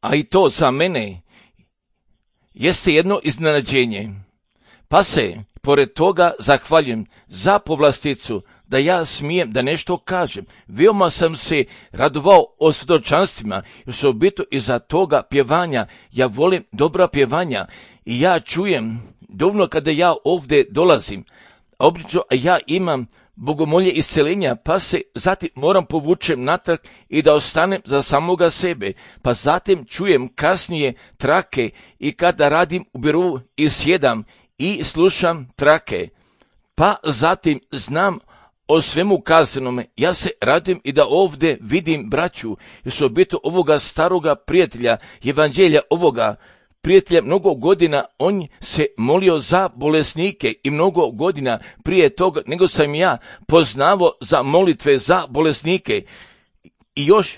a i to za mene jeste jedno iznenađenje. Pa se, pored toga, zahvaljujem za povlasticu da ja smijem da nešto kažem. Veoma sam se radovao o svjedočanstvima, osobito iza toga pjevanja. Ja volim dobra pjevanja i ja čujem dovoljno kada ja ovdje dolazim. Obično ja imam bogomolje isceljenja, pa se zatim moram povučem natrag i da ostanem za samoga sebe, pa zatim čujem kasnije trake i kada radim u birovu i sjedam i slušam trake, pa zatim znam o svemu kazanome. Ja se radim i da ovdje vidim braću, osobito ovoga staroga prijatelja, evanđelja ovoga prijatelja. Mnogo godina on se molio za bolesnike i mnogo godina prije toga nego sam ja poznavao za molitve za bolesnike i još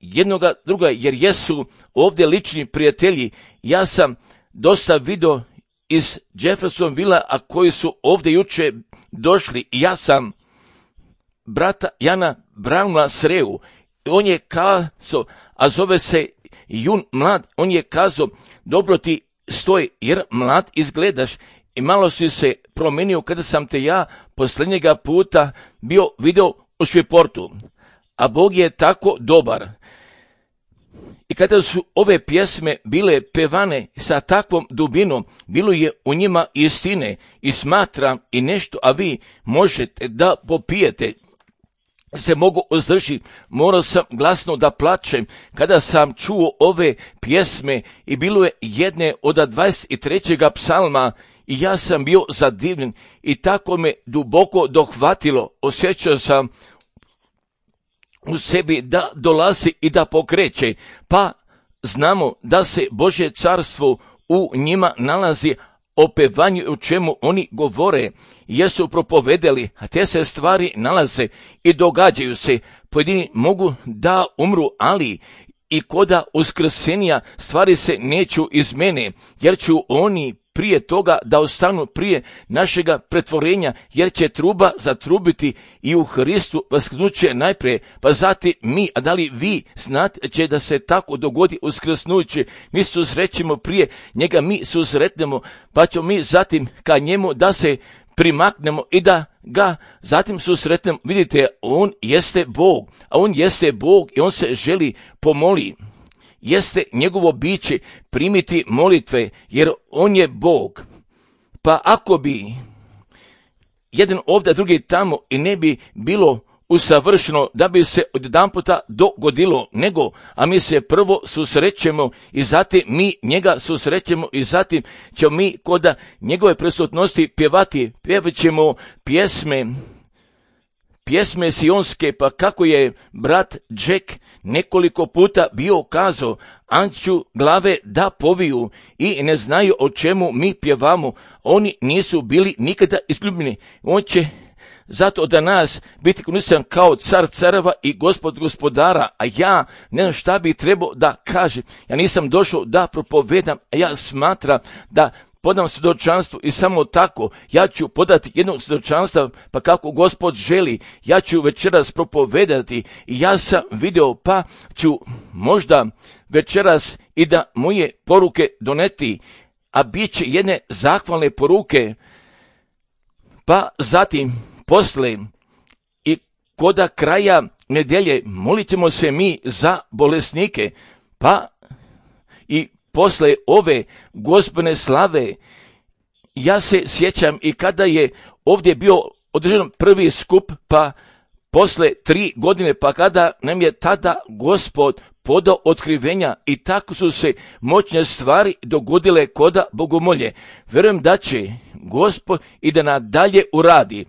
jednoga druga, jer jesu ovdje lični prijatelji. Ja sam dosta vidio iz Jeffersonvilla, a koji su ovdje juče došli, i ja brata Jana Brauna sreo. On je kazao, a zove se Jun mlad, on je kazao, dobro ti stoji jer mlad izgledaš i malo si se promijenio kada sam te ja posljednjega puta bio video u Šviportu. A Bog je tako dobar. I kada su ove pjesme bile pevane sa takvom dubinom, bilo je u njima istine i smatram i nešto, a vi možete da popijete. Se mogu uzdržiti, morao sam glasno da plačem kada sam čuo ove pjesme i bilo je jedne od 23. psalma i ja sam bio zadivljen i tako me duboko dohvatilo. Osjećao sam u sebi da dolazi i da pokreće, pa znamo da se Božje carstvo u njima nalazi, o pevanju o čemu oni govore, jesu propovedali, a te se stvari nalaze i događaju se. Pojedini mogu da umru, ali i koda uskrsenja stvari se neću iz mene, jer ću oni prije toga da ostanu prije našega pretvorenja, jer će truba zatrubiti i u Hristu vaskrsnuće najprije, pa zatim mi. A da li vi znate će da se tako dogodi uskrsnuće? Mi susrećemo prije njega, mi susretnemo, pa ćemo mi zatim ka njemu da se primaknemo i da ga zatim susretnemo. Vidite, on jeste Bog, a on jeste Bog i on se želi pomoli. Jeste njegovo biće primiti molitve, jer on je Bog. Pa ako bi jedan ovdje, drugi tamo i ne bi bilo usavršeno da bi se odjedanputa dogodilo, nego, a mi se prvo susrećemo i zatim mi njega susrećemo i zatim ćemo mi kod njegove prisutnosti pjevati, pjevat ćemo pjesme sionske, pa kako je brat Jack nekoliko puta bio kazao, anću glave da poviju i ne znaju o čemu mi pjevamo. Oni nisu bili nikada izljubljeni. On će zato da nas biti kunisan kao car careva i gospod gospodara, a ja ne znam šta bi trebao da kažem. Ja nisam došao da propovedam, a ja smatram da podam svjedočanstvo i samo tako ja ću podati jedno svjedočanstvo, pa kako Gospod želi, ja ću večeras propovedati i ja sam video, pa ću možda večeras i da moje poruke doneti, a bit će jedne zahvalne poruke, pa zatim posle i koda kraja nedelje molit ćemo se mi za bolesnike, pa i posle ove Gospodne slave. Ja se sjećam i kada je ovdje bio održan prvi skup, pa posle 3 godine, pa kada nam je tada Gospod podao otkrivenja i tako su se moćne stvari dogodile koda bogomolje. Vjerujem da će Gospod i da nadalje uradi.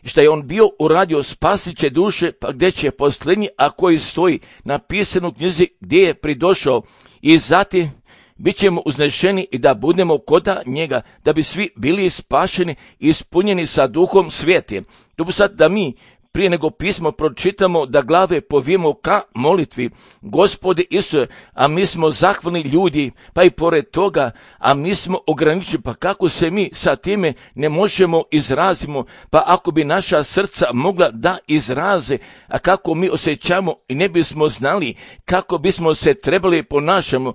Što je on bio uradio, spasit će duše, pa gdje će posljednji, a koji stoji napisano u knjizi gdje je pridošao, i zatim bit ćemo uznešeni i da budemo koda njega, da bi svi bili spašeni i ispunjeni sa duhom svijete. To bi sad da mi prije nego pismo pročitamo, da glave povijemo ka molitvi. Gospode Isuse, a mi smo zahvalni ljudi, pa i pored toga, a mi smo ograničeni, pa kako se mi sa time ne možemo izrazimo, pa ako bi naša srca mogla da izraze, a kako mi osjećamo i ne bismo znali kako bismo se trebali ponašamo,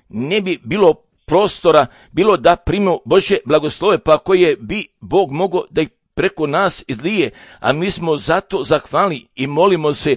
ne bi bilo prostora, bilo da primimo Božje blagoslove, pa koje bi Bog mogao da ih preko nas izlije, a mi smo zato zahvalni i molimo se.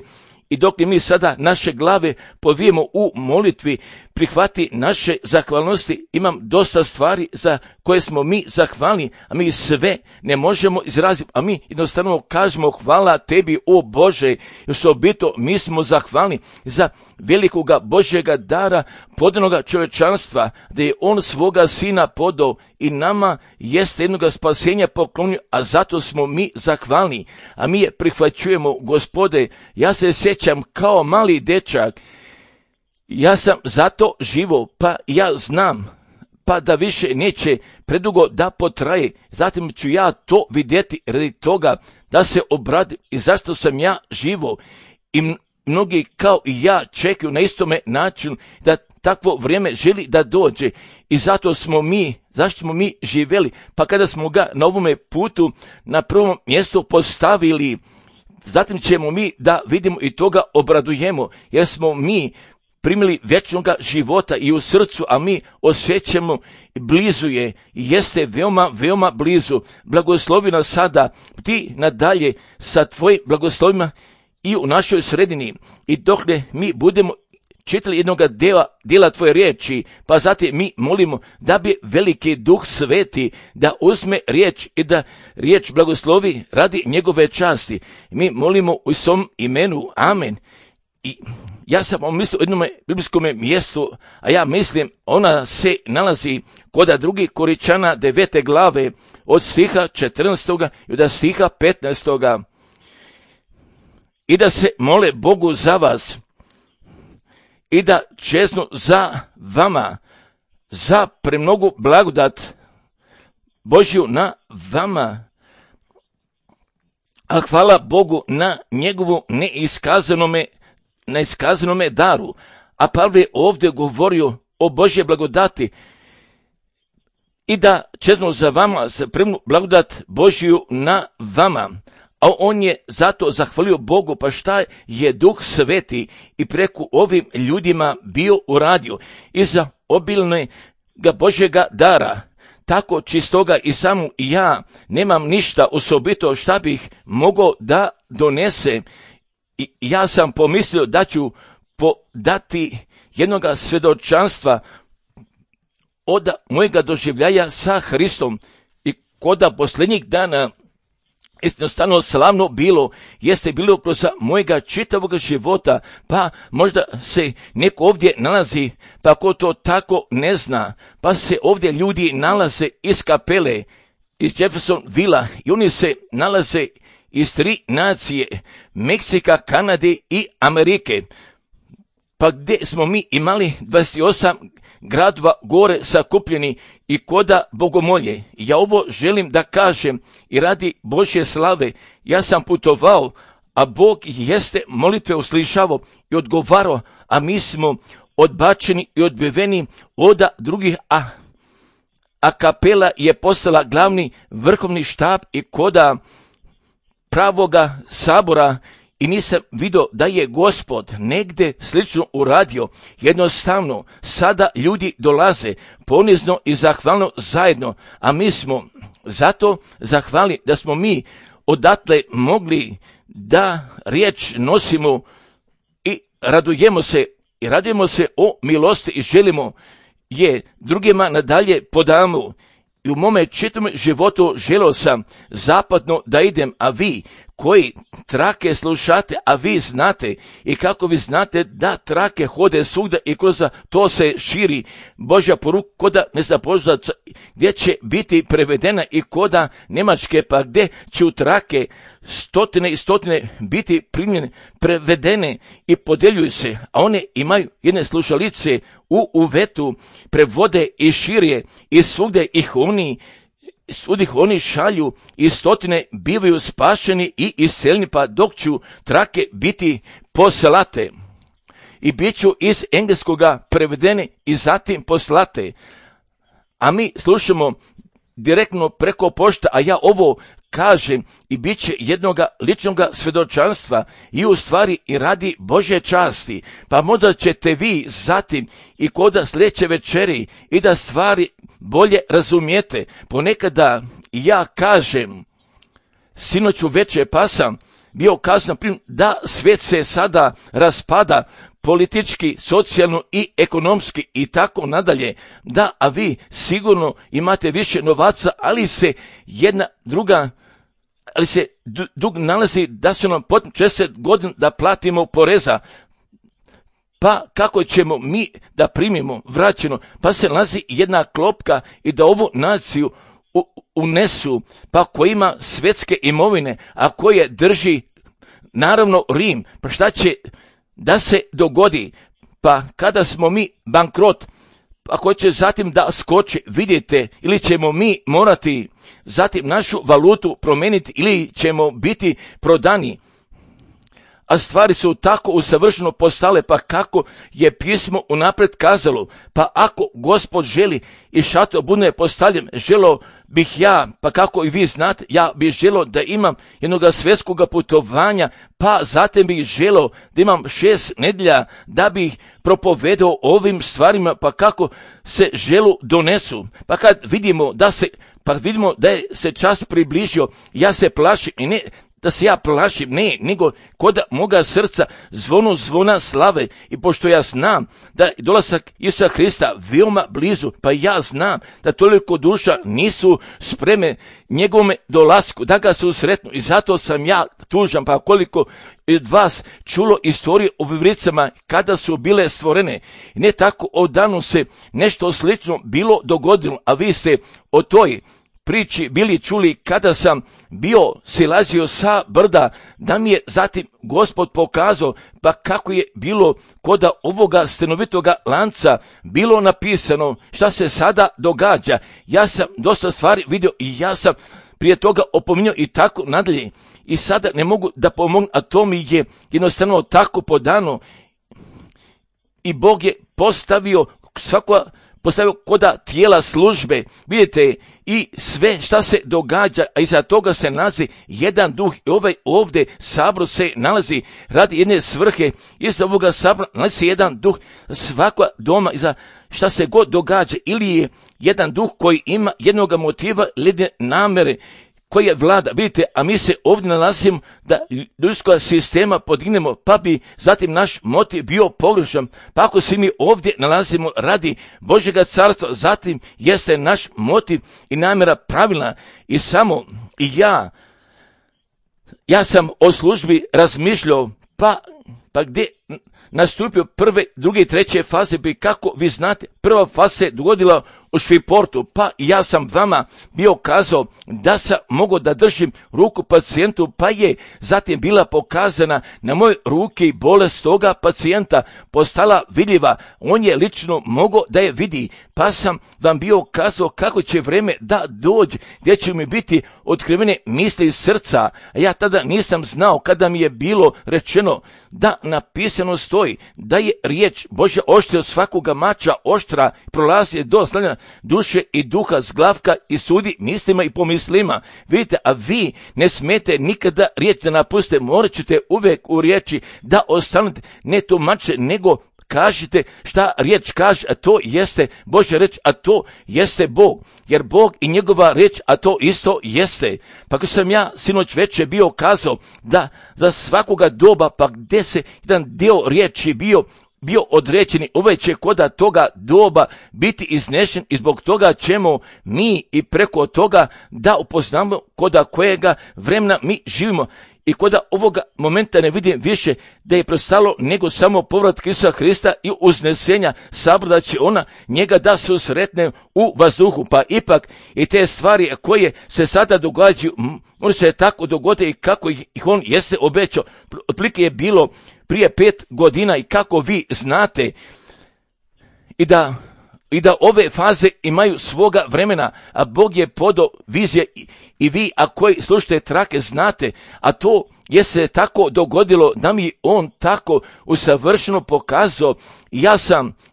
I dok mi sada naše glave povijemo u molitvi, prihvati naše zahvalnosti. Imam dosta stvari za koje smo mi zahvalni, a mi sve ne možemo izraziti, a mi jednostavno kažemo hvala tebi, o Bože. I osobito mi smo zahvalni za velikoga Božjega dara podanoga čovječanstva, da je on svoga sina podao i nama jeste jednoga spasenja poklonio, a zato smo mi zahvalni, a mi je prihvaćujemo. Gospode, ja se sjećam kao mali dečak, ja sam zato živo, pa ja znam, pa da više neće predugo da potraje, zatim ću ja to vidjeti radi toga da se obradim i zašto sam ja živo. I mnogi kao i ja čekaju na istome načinu da takvo vrijeme želi da dođe i zato smo mi živjeli, pa kada smo ga na ovome putu na prvom mjestu postavili, zatim ćemo mi da vidimo i toga obradujemo, jer smo mi primili vječnoga života i u srcu, a mi osjećamo blizu je, jeste veoma, veoma blizu. Blagoslovi nas sada, ti nadalje sa tvojim blagoslovima i u našoj sredini. I dok mi budemo čitali jednoga dijela tvoje riječi, pa zatim mi molimo da bi veliki Duh Sveti da uzme riječ i da riječ blagoslovi radi njegove časti. Mi molimo u svom imenu. Amen. I ja sam mislio o jednom biblijskom mjestu, a ja mislim ona se nalazi kod 2. Koričana 9. glave od stiha 14. i od stiha 15. I da se mole Bogu za vas i da čeznu za vama, za premnogu blagodat Božju na vama. A hvala Bogu na njegovu neiskazanome daru. A Pavle je ovdje govorio o Božje blagodati i da čeznu za vama za premnu blagodat Božju na vama. A on je zato zahvalio Bogu, pa šta je Duh Sveti i preko ovim ljudima bio uradio i za obilne ga Božjega dara. Tako čistoga i samo ja nemam ništa osobito šta bih mogao da donese. I ja sam pomislio da ću dati jednoga svjedočanstva od mojega doživljaja sa Hristom i koda posljednjih dana jednostavno slavno jeste bilo kroz mojega čitavog života, pa možda se neko ovdje nalazi, pa ko to tako ne zna, pa se ovdje ljudi nalaze iz kapele, iz Jeffersonvilla i oni se nalaze iz 3 nacije, Meksika, Kanade i Amerike, pa gdje smo mi imali 28 gradova gore sakupljeni i koda bogomolje. Ja ovo želim da kažem i radi Božje slave. Ja sam putovao, a Bog jeste molitve uslišavao i odgovarao, a mi smo odbačeni i odbiveni od drugih, a kapela je postala glavni vrhovni štab i koda pravoga sabora. I nisam vidio da je Gospod negdje slično uradio. Jednostavno, sada ljudi dolaze ponizno i zahvalno zajedno, a mi smo zato zahvali da smo mi odatle mogli da riječ nosimo i radujemo se o milosti i želimo je drugima nadalje podamo. I u mome čitavom životu želio sam zapadno da idem, a vi koji trake slušate, a vi znate i kako vi znate da trake hode svugdje i kroz to se širi Božja poruka koda ne zna poznaca gdje će biti prevedena i koda Njemačke, pa gdje će u trake stotine i stotine biti primljene, prevedene i podeljuju se, a one imaju jedne slušalice u uvetu, prevode i širje i svugdje ih oni sudih oni šalju i stotine bivaju spašeni i isceljeni, pa dok ću trake biti poslate. I bit ću iz engleskoga prevedeni i zatim poslate. A mi slušamo direktno preko pošte, a ja ovo kažem i bit će jednoga ličnoga svjedočanstva i u stvari i radi Božje časti. Pa možda ćete vi zatim i kod sljedeće večeri i da stvari bolje razumijete. Ponekada ja kažem, sinoć uveče pa sam bio kazan da svijet se sada raspada politički, socijalno i ekonomski i tako nadalje, da, a vi sigurno imate više novaca, ali se dug nalazi da su nam potrebno 60 godina da platimo poreza. Pa kako ćemo mi da primimo vraćeno? Pa se nalazi jedna klopka i da ovu naciju unesu, pa ko ima svjetske imovine, a koje drži naravno Rim, pa šta će da se dogodi? Pa kada smo mi bankrot, ako će zatim da skoči, vidite, ili ćemo mi morati zatim našu valutu promijeniti ili ćemo biti prodani. A stvari su tako usavršeno postale, pa kako je pismo unaprijed kazalo, pa ako Gospod želi i šator bude postavljen, želo bih ja, pa kako i vi znate, ja bih želo da imam jednog svjetskog putovanja, pa zatim bih želo da imam 6 nedjelja da bih propovedao ovim stvarima, pa kako se želu donesu. Pa kad vidimo da je se čas približio, ja se plašim i ne da se ja plašim, ne, nego kod moga srca zvona slave, i pošto ja znam da je dolazak Isusa Hrista veoma blizu, pa ja znam da toliko duša nisu spreme njegovome dolasku, da ga se sretnu, i zato sam ja tužan, pa koliko od vas čulo istorije o vivricama kada su bile stvorene. Ne tako odavno se nešto slično bilo dogodilo, a vi ste o toj priči bili čuli kada sam bio silazio sa brda, da mi je zatim Gospod pokazao pa kako je bilo kod ovoga stanovitoga lanca bilo napisano šta se sada događa. Ja sam dosta stvari vidio i ja sam prije toga opominjao i tako nadalje. I sada ne mogu da pomognem, a to mi je jednostavno tako podano. I Bog je postavio koda tijela službe, vidite, i sve šta se događa, a iza toga se nalazi jedan duh, i ovaj ovdje sabor se nalazi radi jedne svrhe, iza ovoga sabora nalazi jedan duh, svaka doma, iza šta se god događa, ili je jedan duh koji ima jednog motiva, jedne namere, koji je vlada, vidite, a mi se ovdje nalazimo da ljudskog sistema podignemo, pa bi zatim naš motiv bio pogrešan. Pa ako se mi ovdje nalazimo radi Božjega carstva, zatim jeste naš motiv i namjera pravilna. I samo ja sam o službi razmišljao, pa gdje nastupio prve, druge i treće faze, bi kako vi znate, prva faza se dogodila u Šviportu, pa ja sam vama bio kazao da sam mogao da držim ruku pacijentu, pa je zatim bila pokazana na moje ruke i bolest toga pacijenta postala vidljiva. On je lično mogao da je vidi, pa sam vam bio kazao kako će vreme da dođe, gdje će mi biti otkrivene misli iz srca. A ja tada nisam znao, kada mi je bilo rečeno da napisano stoji da je riječ Božja oštrija od svakoga mača oštra, prolazi do slanja duše i duha, zglavka i sudi mislima i pomislima. Vidite, a vi ne smete nikada riječ da napuste, morat ćete uvijek u riječi da ostanete, ne tumače, nego kažite šta riječ kaže, a to jeste Božja reč, a to jeste Bog, jer Bog i njegova reč, a to isto jeste. Pa ako sam ja sinoć večer bio kazao da za svakoga doba, pa gdje se jedan dio riječi bio određeni, ovaj će koda toga doba biti iznešen, i zbog toga ćemo mi i preko toga da upoznamo koda kojega vremena mi živimo. I koda ovoga momenta ne vidim više da je prestalo nego samo povratak Isusa Hrista i uznesenja sabora, da će ona njega da se sretne u vazduhu. Pa ipak i te stvari koje se sada događaju, može se tako dogoditi i kako ih on jeste obećao. Otprilike je bilo prije 5 godina, i kako vi znate, i da i da ove faze imaju svoga vremena, a Bog je podao vizije i vi, a koji slušate trake, znate, a to je se tako dogodilo da mi on tako usavršeno pokazao.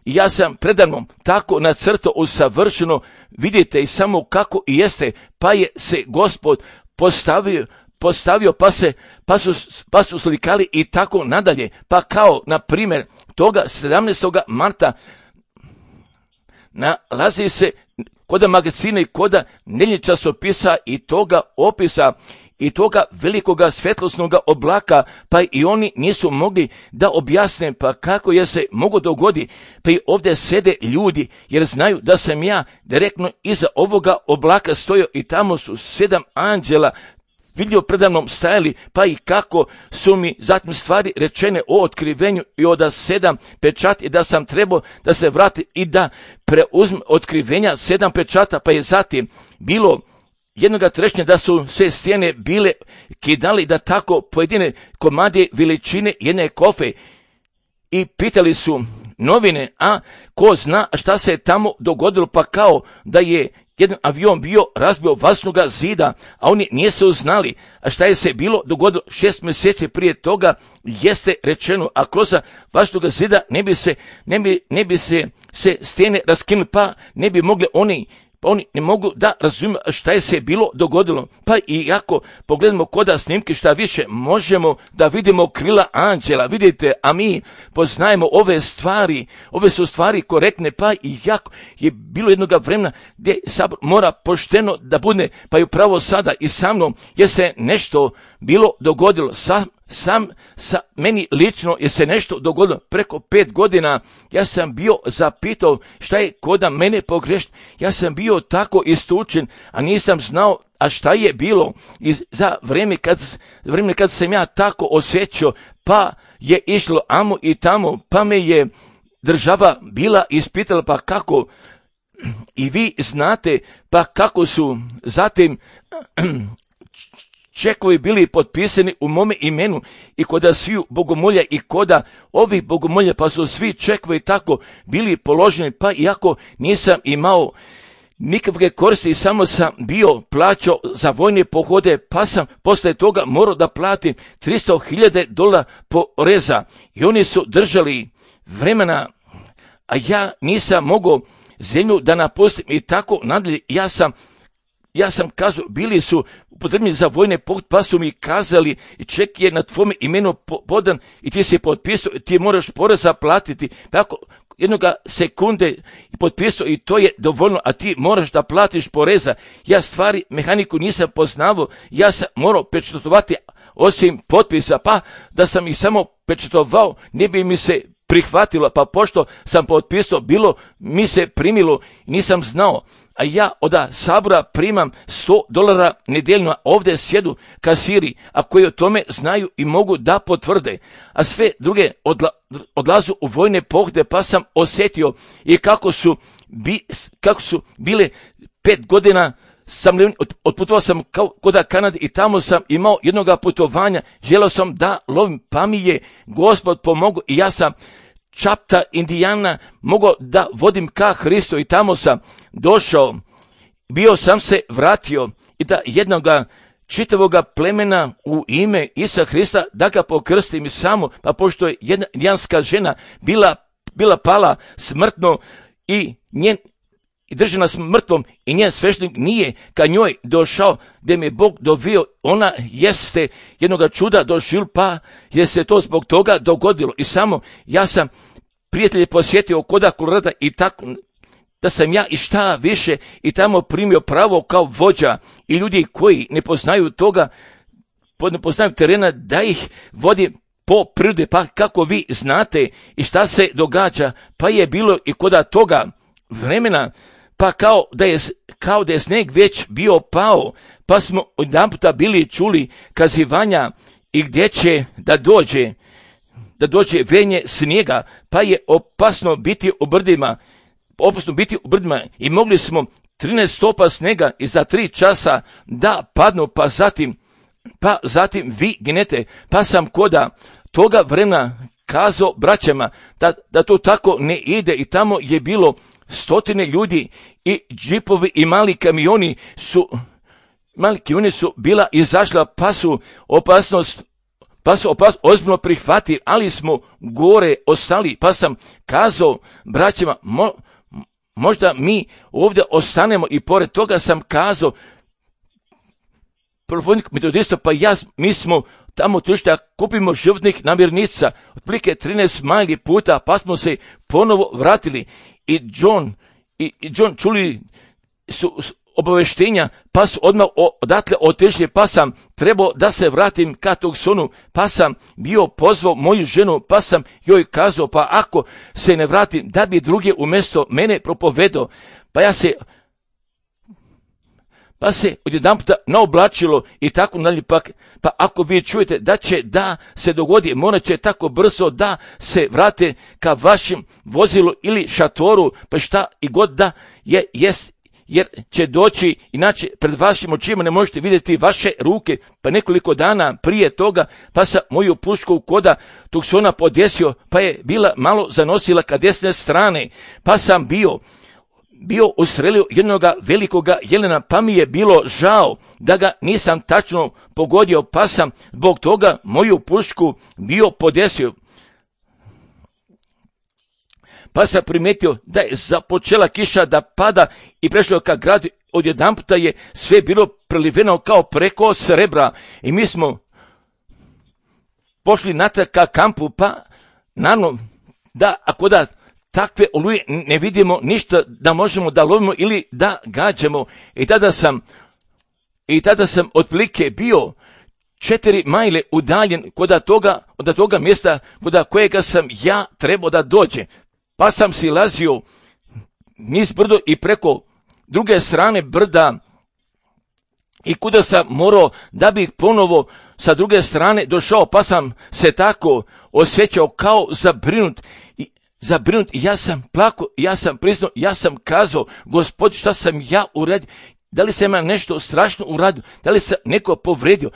Ja sam predano tako nacrtao usavršeno, vidite i samo kako i jeste, pa je se Gospod postavio pa su slikali i tako nadalje. Pa kao, na primjer, toga 17. marta nalazi se koda magazina i koda nedeljnih časopisa i toga opisa i toga velikoga svjetlosnog oblaka, pa i oni nisu mogli da objasne pa kako je se mogo dogodi. Pa i ovdje sede ljudi, jer znaju da sam ja direktno iza ovoga oblaka stojio i tamo su 7 anđela vidio predamnom stajali, pa i kako su mi zatim stvari rečene o otkrivenju i od 7 pečati, da sam trebao da se vrati i da preuzme otkrivenja 7 pečata, pa je zatim bilo jednoga trešnja da su sve stijene bile kidali, da tako pojedine komade veličine jedne kofe, i pitali su novine, a ko zna šta se tamo dogodilo, pa kao da je jedan avion bio razbio vaznoga zida, a oni nisu znali, a šta je se bilo dogodilo 6 mjeseci prije toga, jeste rečeno, a kroz vaznoga zida ne bi se stijene raskinuli, pa ne bi mogli oni ne mogu da razumiju šta je se bilo dogodilo. Pa i ako pogledamo koda snimke šta više, možemo da vidimo krila anđela, vidite, a mi poznajemo ove stvari, ove su stvari korektne, pa i jako je bilo jednoga vremena gdje sabor mora pošteno da bude, pa i upravo sada i sa mnom je se nešto bilo dogodilo. Meni lično je se nešto dogodilo preko 5 godina. Ja sam bio zapitao šta je koda mene pogrešno. Ja sam bio tako istučen, a nisam znao a šta je bilo. I za vrijeme kad sam ja tako osjećao, pa je išlo amo i tamo, pa me je država bila ispitala, pa kako i vi znate, pa kako su zatim čekovi bili potpisani u mome imenu i koda sviju bogomolja i koda ovih bogomolja, pa su svi čekovi tako bili položeni, pa iako nisam imao nikakve koristi i samo sam bio plaćao za vojne pohode, pa sam posle toga morao da platim $300,000 poreza i oni su držali vremena, a ja nisam mogao zemlju da napustim i tako nadalje. Ja sam kazao, bili su upotrebni za vojne pohode, pa su mi kazali, ček je na tvome imenu podan i ti si potpisao, ti moraš poreza platiti. Tako jednoga sekunde potpisao i to je dovoljno, a ti moraš da platiš poreza. Ja stvari, mehaniku nisam poznavao, ja sam morao pečatovati osim potpisa, pa da sam ih samo pečatovao, ne bi mi se prihvatilo, pa pošto sam potpisao, bilo mi se primilo, nisam znao. A ja od sabora primam $100 nedeljno, ovdje sjedu kasiri, a koji o tome znaju i mogu da potvrde, a sve druge odlazu u vojne pohode, pa sam osjetio i kako su bile 5 godina otputovao sam kod Kanade i tamo sam imao jednoga putovanja, želeo sam da lovim, pa mi je Gospod pomogao i ja sam Čapta, Indijana, mogao da vodim ka Hristu i tamo sam došao, bio sam se vratio i da jednoga čitavoga plemena u ime Isa Hrista da ga pokrstim i samo, pa pošto je jedna indijanska žena bila pala smrtno i držana smrtvom i njen sveštenik nije ka njoj došao, gdje mi je Bog dovio, ona jeste jednoga čuda došla, pa je se to zbog toga dogodilo. I samo ja sam prijatelje posjetio koda Kolorada i tako da sam ja i šta više i tamo primio pravo kao vođa i ljudi koji ne poznaju toga, ne poznaju terena, da ih vodi po prirodi, pa kako vi znate i šta se događa, pa je bilo i koda toga vremena, pa kao da je sneg već bio pao, pa smo odjedanputa bili čuli kazivanja i gdje će da dođe venje snijega, pa je opasno biti u brdima i mogli smo 13 stopa snega i za 3 časa da padnu, pa zatim vi ginete, pa sam koda toga vremena kazao braćama da to tako ne ide i tamo je bilo stotine ljudi i džipovi i mali kamioni su bila izašla, pa su opasnost ozbiljno prihvatili, ali smo gore ostali, pa sam kazao braćima, možda mi ovdje ostanemo, i pored toga sam kazao propovjednik metodista, pa mi smo tamo otišli da kupimo životnih namirnica, otprilike 13 majli puta, pa smo se ponovo vratili i John čuli su obaveštenja, pa su odmah odatle otišli, pa sam trebao da se vratim ka Tucsonu, pa sam bio pozvao moju ženu, pa sam joj kazao, pa ako se ne vratim, da bi druge umjesto mene propovedao, pa se odjedanputa naoblačilo i tako dalje, pa ako vi čujete da će da se dogodi, morat će tako brzo da se vrate ka vašem vozilu ili šatoru, pa šta i god da jest, jer će doći, inače pred vašim očima ne možete vidjeti vaše ruke. Pa nekoliko dana prije toga, pa sam moju pušku koda Tucsona podesio, pa je bila malo zanosila ka desne strane, pa sam bio ustrelio jednoga velikoga jelena, pa mi je bilo žao da ga nisam tačno pogodio, pa sam zbog toga moju pušku bio podesio. Pa sam primetio da je započela kiša da pada i prešlo ka gradu, odjedanputa je sve bilo preliveno kao preko srebra i mi smo pošli natrag ka kampu, pa naravno da ako da takve oluje ne vidimo ništa da možemo da lovimo ili da gađamo, i tada sam otprilike bio 4 majle udaljen od toga mjesta kod kojega sam ja trebao da dođe. Pa sam silazio niz brdo i preko druge strane brda i kuda sam morao da bih ponovo sa druge strane došao, pa sam se tako osjećao kao zabrinut i ja sam plakao, ja sam priznao, ja sam kazao, Gospod, šta sam ja uradio, da li sam ja nešto strašno uradio, da li sam neko povredio,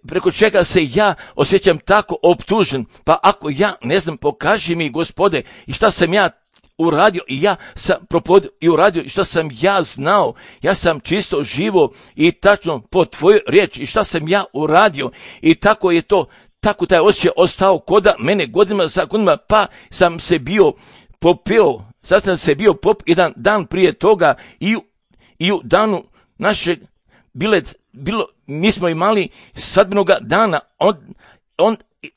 preko čega se ja osjećam tako optužen, pa ako ja ne znam, pokaži mi, Gospode, i šta sam ja uradio, i ja sam propovedio i uradio, i šta sam ja znao, ja sam čisto živo i tačno po tvojoj riječi, i šta sam ja uradio, i tako je to, tako taj osjećaj ostao koda mene godinama za godinama, pa sam se bio popio, sad sam se bio jedan dan prije toga i u danu našeg mi smo imali svadbenoga dana,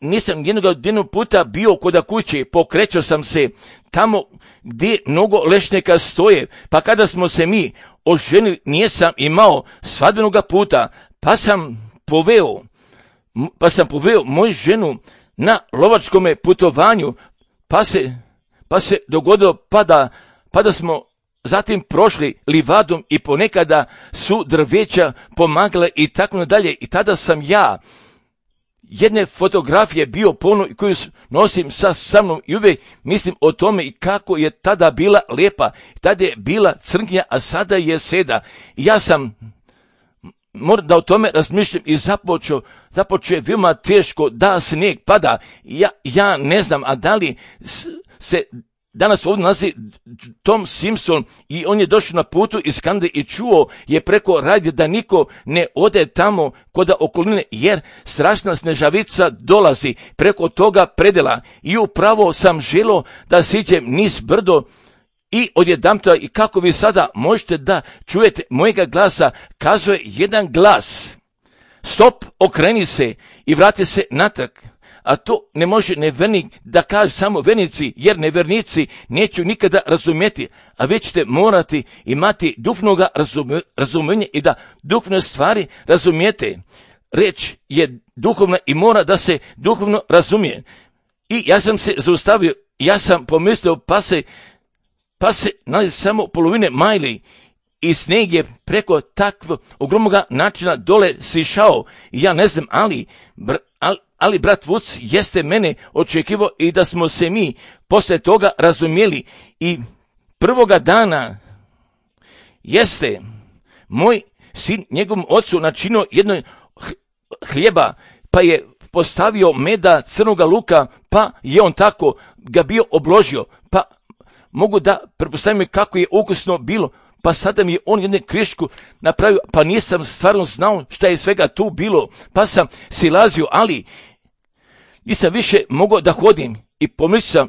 nisam jednog puta bio kod kuće, pokrećao sam se tamo gdje mnogo lešnika stoje, pa kada smo se mi oženili, nisam imao svadbenoga puta, pa sam poveo moju ženu na lovačkom putovanju, pa se dogodilo pa da smo zatim prošli livadom i ponekada su drveća pomagale i tako dalje. I tada sam ja jedne fotografije bio pono koju nosim sa mnom i uvijek mislim o tome i kako je tada bila lijepa. Tada je bila crnkinja, a sada je seda. I ja sam moram da o tome razmišljam i započeo je veoma teško da snijeg pada. Ja ne znam, a da li se danas ovdje nalazi Tom Simpson i on je došao na putu iz Kanade i čuo je preko radija da niko ne ode tamo kod okoline jer strašna snežavica dolazi preko toga predela i upravo sam želio da siđem niz brdo i odjedanputa i kako vi sada možete da čujete mojega glasa, kazuje jedan glas: stop, okreni se i vrati se natrag. A to ne može nevernik da kaže samo vernici, jer nevernici neću nikada razumjeti, a već ćete morati imati duhovnoga razumijenja i da duhovne stvari razumijete. Reč je duhovna i mora da se duhovno razumije. I ja sam se zaustavio, ja sam pomislio pa se nalazi samo polovine majli i sneg je preko takvog ogromnog načina dole sišao. I ja ne znam, ali brat Vuc jeste mene očekivao i da smo se mi posle toga razumjeli. I prvoga dana jeste moj sin njegovom ocu načinio jedno hljeba, pa je postavio meda, crnoga luka, pa je on tako ga bio obložio. Pa mogu da pretpostavim kako je ukusno bilo, pa sada mi je on jednu krišku napravio, pa nisam stvarno znao šta je svega tu bilo, pa sam silazio, ali nisam više mogao da hodim i pomislio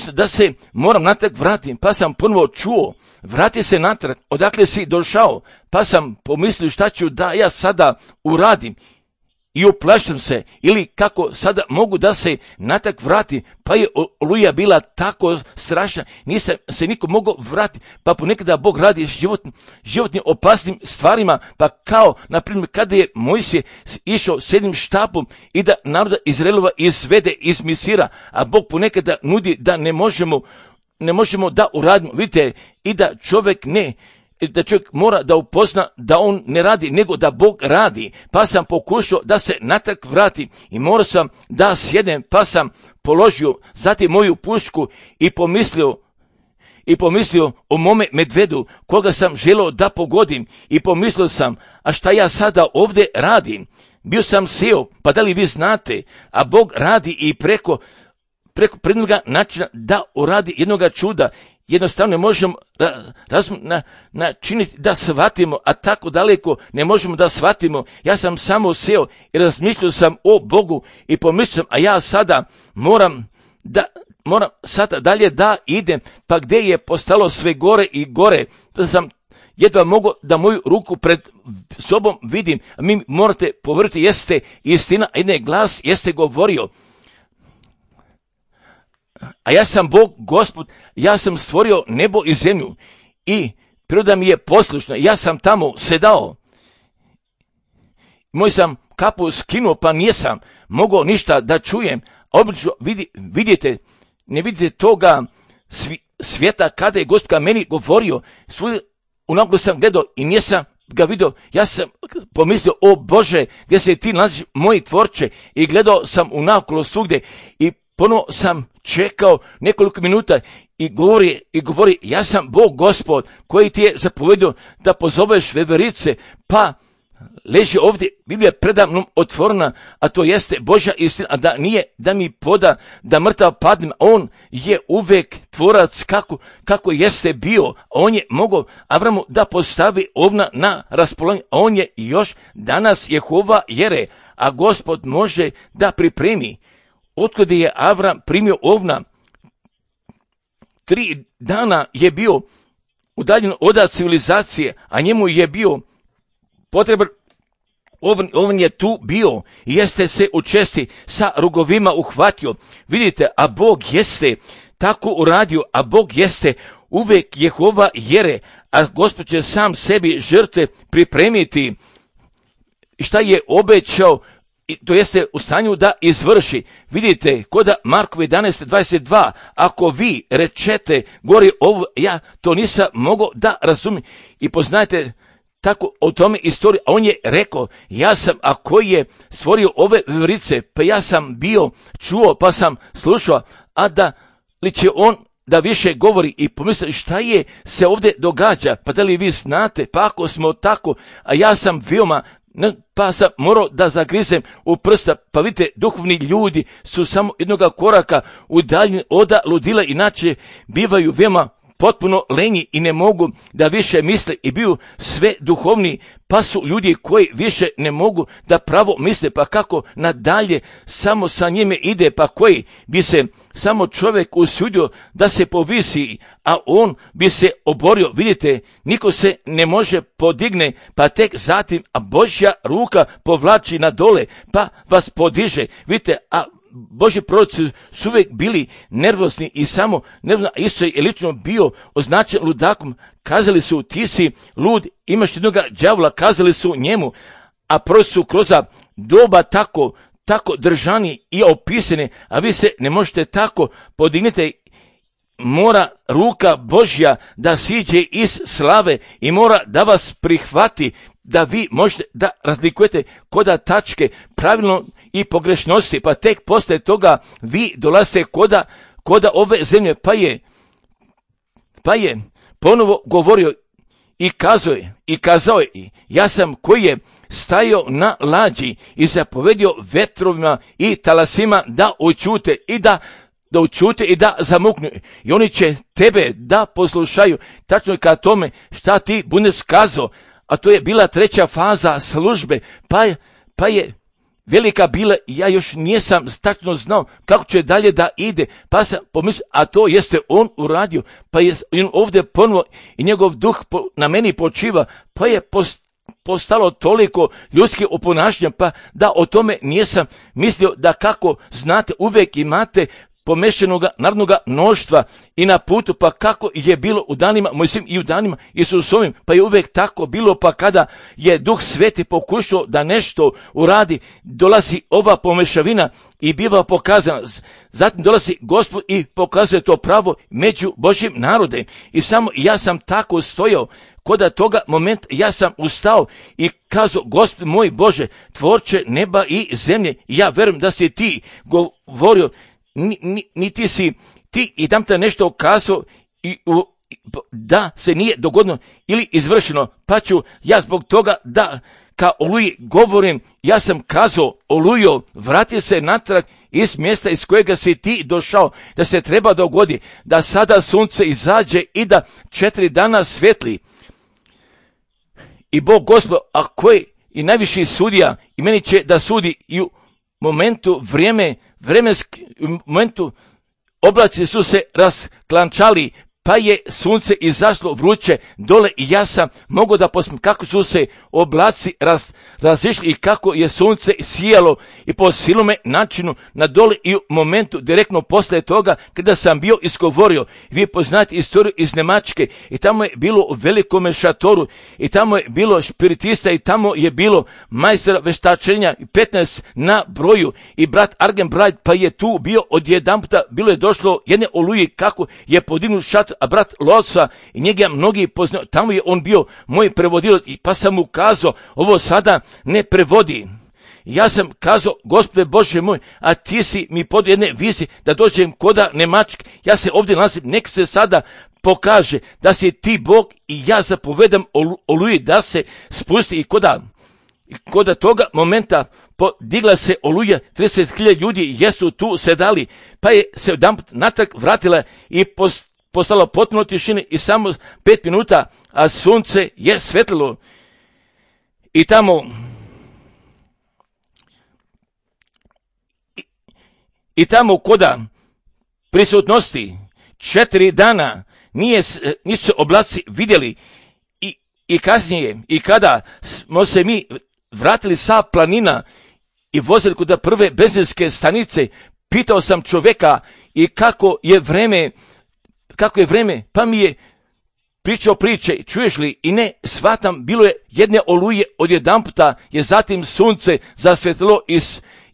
sam da se moram natrag vratim, pa sam ponovo čuo, vrati se natrag, odakle si došao, pa sam pomislio šta ću da ja sada uradim i uplašim se, ili kako sada mogu da se natrag vratim, pa je oluja bila tako strašna, nisam se niko mogao vratiti, pa ponekada Bog radi životnim opasnim stvarima, pa kao, na primjer, kada je Mojsije išao s jednim štapom i da naroda Izraelova izvede iz Misira, a Bog ponekada nudi da ne možemo da uradimo, vidite, i da čovjek mora da upozna da on ne radi, nego da Bog radi. Pa sam pokušao da se natrag vrati i morao sam da sjednem, pa sam položio zatim moju pušku i pomislio o mome medvedu koga sam želeo da pogodim i pomislio sam, a šta ja sada ovdje radim? Bio sam seo, pa da li vi znate, a Bog radi i preko prednoga načina da uradi jednoga čuda. Jednostavno ne možemo načiniti da shvatimo, a tako daleko ne možemo da shvatimo. Ja sam samo seo i razmišljao sam o Bogu i pomislio, a ja sada moram sada dalje da idem, pa gdje je postalo sve gore i gore, da sam jedva mogao da moju ruku pred sobom vidim, a mi morate povrti, jeste istina, a jedan glas jeste govorio, a ja sam Bog, Gospod, ja sam stvorio nebo i zemlju i priroda mi je poslušna, ja sam tamo sedao. Moj sam kapu skinuo, pa nisam mogao ništa da čujem. Obično ne vidite toga svijeta kada je Gospod ka meni govorio. Unaprijed sam gledao i nisam ga vidio. Ja sam pomislio, o Bože, gdje se ti nalaziš, moji tvorče, i gledao sam unakolo svugdje i ponovo sam čekao nekoliko minuta i govori, ja sam Bog, Gospod, koji ti je zapovedio da pozoveš veverice, pa leži ovdje, Biblija predamnom otvorena, a to jeste Božja istina, a da nije da mi poda da mrtav padnem, on je uvek tvorac kako jeste bio, on je mogao Avramu da postavi ovna na raspolaganje, a on je još danas Jehova Jere, a Gospod može da pripremi. Otkada je Avram primio ovna, 3 dana je bio udaljen od civilizacije, a njemu je bio potreban, ovan je tu bio i jeste se učesti sa rogovima uhvatio. Vidite, a Bog jeste tako uradio, a Bog jeste uvek Jehova Jere, a Gospod će sam sebi žrtve pripremiti. I šta je obećao, to jeste u stanju da izvrši. Vidite, koda Markova 11:22, ako vi rečete gori ovo, ja to nisam mogao da razumijem. I poznajte tako o tome istoriju, a on je rekao, ja sam, a koji je stvorio ove veverice, pa ja sam bio čuo, pa sam slušao, a da li će on da više govori i pomisli šta je se ovdje događa, pa da li vi znate, pa ako smo tako, a ja sam veoma, pa sam morao da zagrizem u prsta, pa vidite, duhovni ljudi su samo jednoga koraka udaljeni od ludila, inače bivaju veoma potpuno lenji i ne mogu da više misle i biju sve duhovni, pa su ljudi koji više ne mogu da pravo misle, pa kako nadalje samo sa njime ide, pa koji bi se samo čovjek usudio da se povisi, a on bi se oborio. Vidite, niko se ne može podigne, pa tek zatim a Božja ruka povlači na dole, pa vas podiže. Vidite, a Božji proroci su uvijek bili nervozni i samo nervozno, a isto je lično bio označen ludakom. Kazali su, ti si lud, imaš jednoga đavola, kazali su njemu, a proroci su kroz doba tako držani i opisani, a vi se ne možete tako podigniti. Mora ruka Božja da siđe iz slave i mora da vas prihvati, da vi možete da razlikujete koda tačke pravilno i pogrešnosti, pa tek posle toga vi dolazite koda ove zemlje, pa je ponovo govorio i kazao je, ja sam koji je stajao na lađi i zapovedio vetrovima i talasima da oćute i da da učute i da zamuknu. I oni će tebe da poslušaju tačno ka tome šta ti budeš kazao. A to je bila treća faza službe. Pa je velika bila i ja još nisam tačno znao kako će dalje da ide. Pa sam pomislio, a to jeste on uradio. Pa je on ovdje ponovo i njegov duh na meni počiva. Pa je postalo toliko ljudski oponašnja, pa da o tome nisam mislio, da kako znate uvijek imate pomešanoga narodnoga mnoštva i na putu, pa kako je bilo u danima Mojsijevim i u danima Isusovim, pa je uvijek tako bilo, pa kada je Duh Sveti pokušao da nešto uradi, dolazi ova pomešavina i biva pokazana. Zatim dolazi Gospod i pokazuje to pravo među Božjim narodem. I samo ja sam tako stojao. Kod toga momenta ja sam ustao i kazao, Gospod moj Bože, tvorče neba i zemlje, ja verujem da si ti govorio, niti si ti i tam te nešto kazao da se nije dogodilo ili izvršeno, pa ću ja zbog toga da ka Oluji govorim, ja sam kazao, Olujo, vrati se natrag iz mjesta iz kojega si ti došao, da se treba dogodi, da sada sunce izađe i da 4 dana svetli. I Bog Gospod, a koji i najviši sudija, i meni će da sudi i u momentu momentu oblaci su se rasklančali, pa je sunce izašlo vruće dole i ja sam mogao da posmijem kako su se oblaci razišli i kako je sunce sijalo i po silome načinu na dole i u momentu direktno posle toga kada sam bio izgovorio. Vi poznate istoriju iz Njemačke i tamo je bilo u velikome šatoru i tamo je bilo spiritista i tamo je bilo majstora veštačenja 15 na broju i brat Argenbright pa je tu bio odjedanputa, bilo je došlo jedne Oluji kako je podignut šator, a brat Losa i njega mnogi poznaju, tamo je on bio moj prevodilac i pa sam mu kazao, ovo sada ne prevodi. Ja sam kazao, Gospode Bože moj, a ti si mi pod jedne vizije da dođem koda Njemačke, ja se ovdje nalazim, nek se sada pokaže da si ti Bog i ja zapovedam Oluji da se spusti i koda toga momenta podigla se Oluja, 30.000 ljudi jesu tu sedali, pa je se jedanput natrag vratila i postalo potpuno tišine i samo 5 minuta, a sunce je svetlilo. I tamo koda prisutnosti 4 dana nisu se oblaci vidjeli i kasnije i kada smo se mi vratili sa planina i vozili kod prve benzinske stanice, pitao sam čovjeka i kako je vreme, pa mi je pričao priče, čuješ li, i ne shvatam, bilo je jedne Oluje, odjedanputa je zatim sunce zasvetilo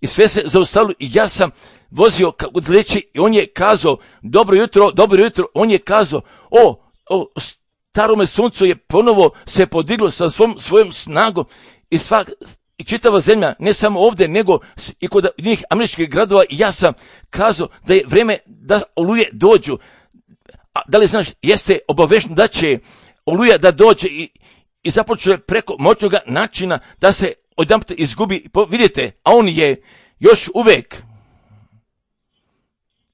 i sve se zaustavilo i ja sam vozio od leći i on je kazao, dobro jutro, on je kazao, starome suncu je ponovo se podiglo sa svojom snagom i čitava zemlja, ne samo ovdje, nego i kod njih američkih gradova i ja sam kazao da je vrijeme da Oluje dođu. A da li znaš, jeste obavešten da će Oluja da dođe i započne preko moćnog načina da se odjedanput izgubi. Vidite, a on je još uvijek,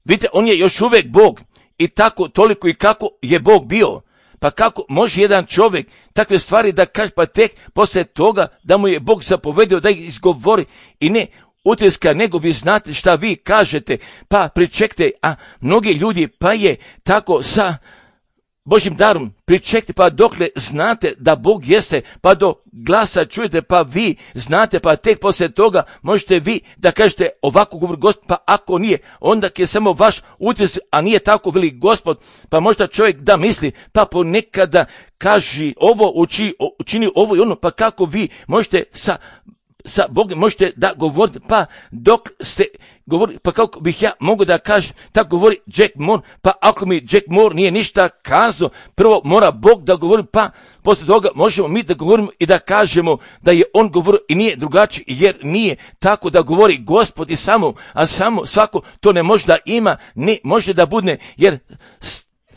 vidite, on je još uvijek Bog i tako toliko i kako je Bog bio. Pa kako može jedan čovjek takve stvari da kaže, pa tek poslije toga da mu je Bog zapovedio da ih izgovori i ne utiska, nego vi znate šta vi kažete, pa pričekajte, a mnogi ljudi pa je tako sa Božjim darom, pričekajte, pa dokle znate da Bog jeste, pa do glasa čujete, pa vi znate, pa tek poslije toga možete vi da kažete ovako govori Gospod, pa ako nije, onda je samo vaš utisak, a nije tako veli Gospod, pa možda čovjek da misli, pa ponekada kaži ovo, učini ovo i ono, pa kako vi možete sa Bogom možete da govorite, pa dok ste govorili, pa kako bih ja mogao da kažem, tako govori Jack Moore, pa ako mi Jack Moore nije ništa kazao, prvo mora Bog da govori, pa poslije toga možemo mi da govorimo i da kažemo da je on govorio i nije drugačije, jer nije tako da govori Gospod i samo svako to ne može da ima, ne može da bude,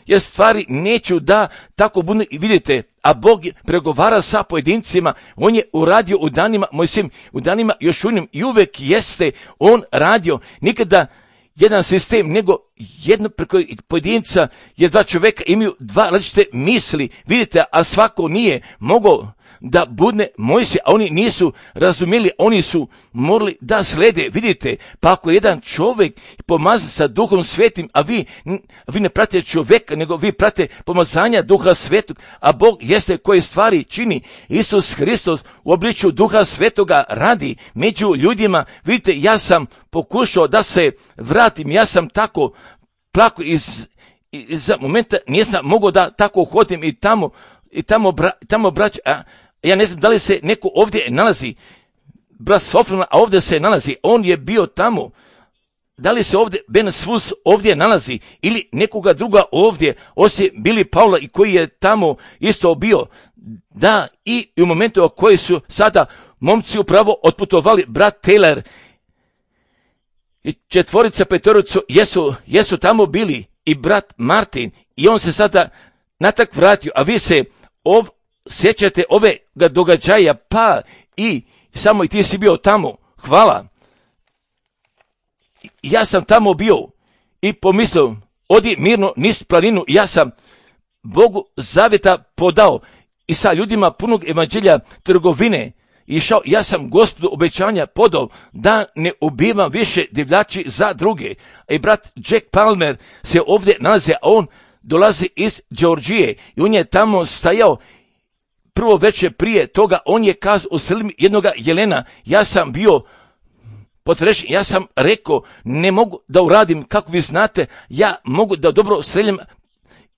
jer stvari neću da tako bude i vidite, a Bog pregovara sa pojedincima, on je uradio u danima Mojsijevim, u danima Jošuinim i uvek jeste on radio, nikada jedan sistem, nego jedno preko pojedinca, jer dva čovjeka imaju dva različite misli, vidite, a svako nije mogao da budne Mojsije, a oni nisu razumjeli, oni su morali da slede, vidite, pa ako jedan čovjek pomazan sa Duhom Svetim, a vi ne pratite čovjeka, nego vi pratite pomazanja Duha Svetog, a Bog jeste koje stvari čini. Isus Hristos u obličju Duha Svetoga radi među ljudima. Vidite, ja sam pokušao da se vratim, ja sam tako plako iz momenta, nisam mogao da tako hodim i tamo braća, ja ne znam da li se neko ovdje nalazi, brat Sofran, a ovdje se nalazi, on je bio tamo. Da li se ovdje Ben Svus ovdje nalazi ili nekoga druga ovdje, osim Bili Paula i koji je tamo isto bio. Da, i u momentu u koji su sada momci upravo otputovali, brat Taylor i četvorica, petoricu jesu tamo bili i brat Martin i on se sada natak vratio, a vi se sjećate ove događaja, pa i samo i ti si bio tamo, hvala. Ja sam tamo bio i pomislio, odi mirno niz planinu, ja sam Bogu zavjeta podao i sa ljudima punog evanđelja trgovine išao, ja sam Gospodu obećanja podao da ne ubivam više divljači za druge. I brat Jack Palmer se ovdje nalazi, a on dolazi iz Georgije i on je tamo stajao. Prvo večer prije toga on je kazao, ustreli mi jednoga jelena, ja sam bio potrešen, ja sam rekao, ne mogu da uradim kako vi znate, ja mogu da dobro streljam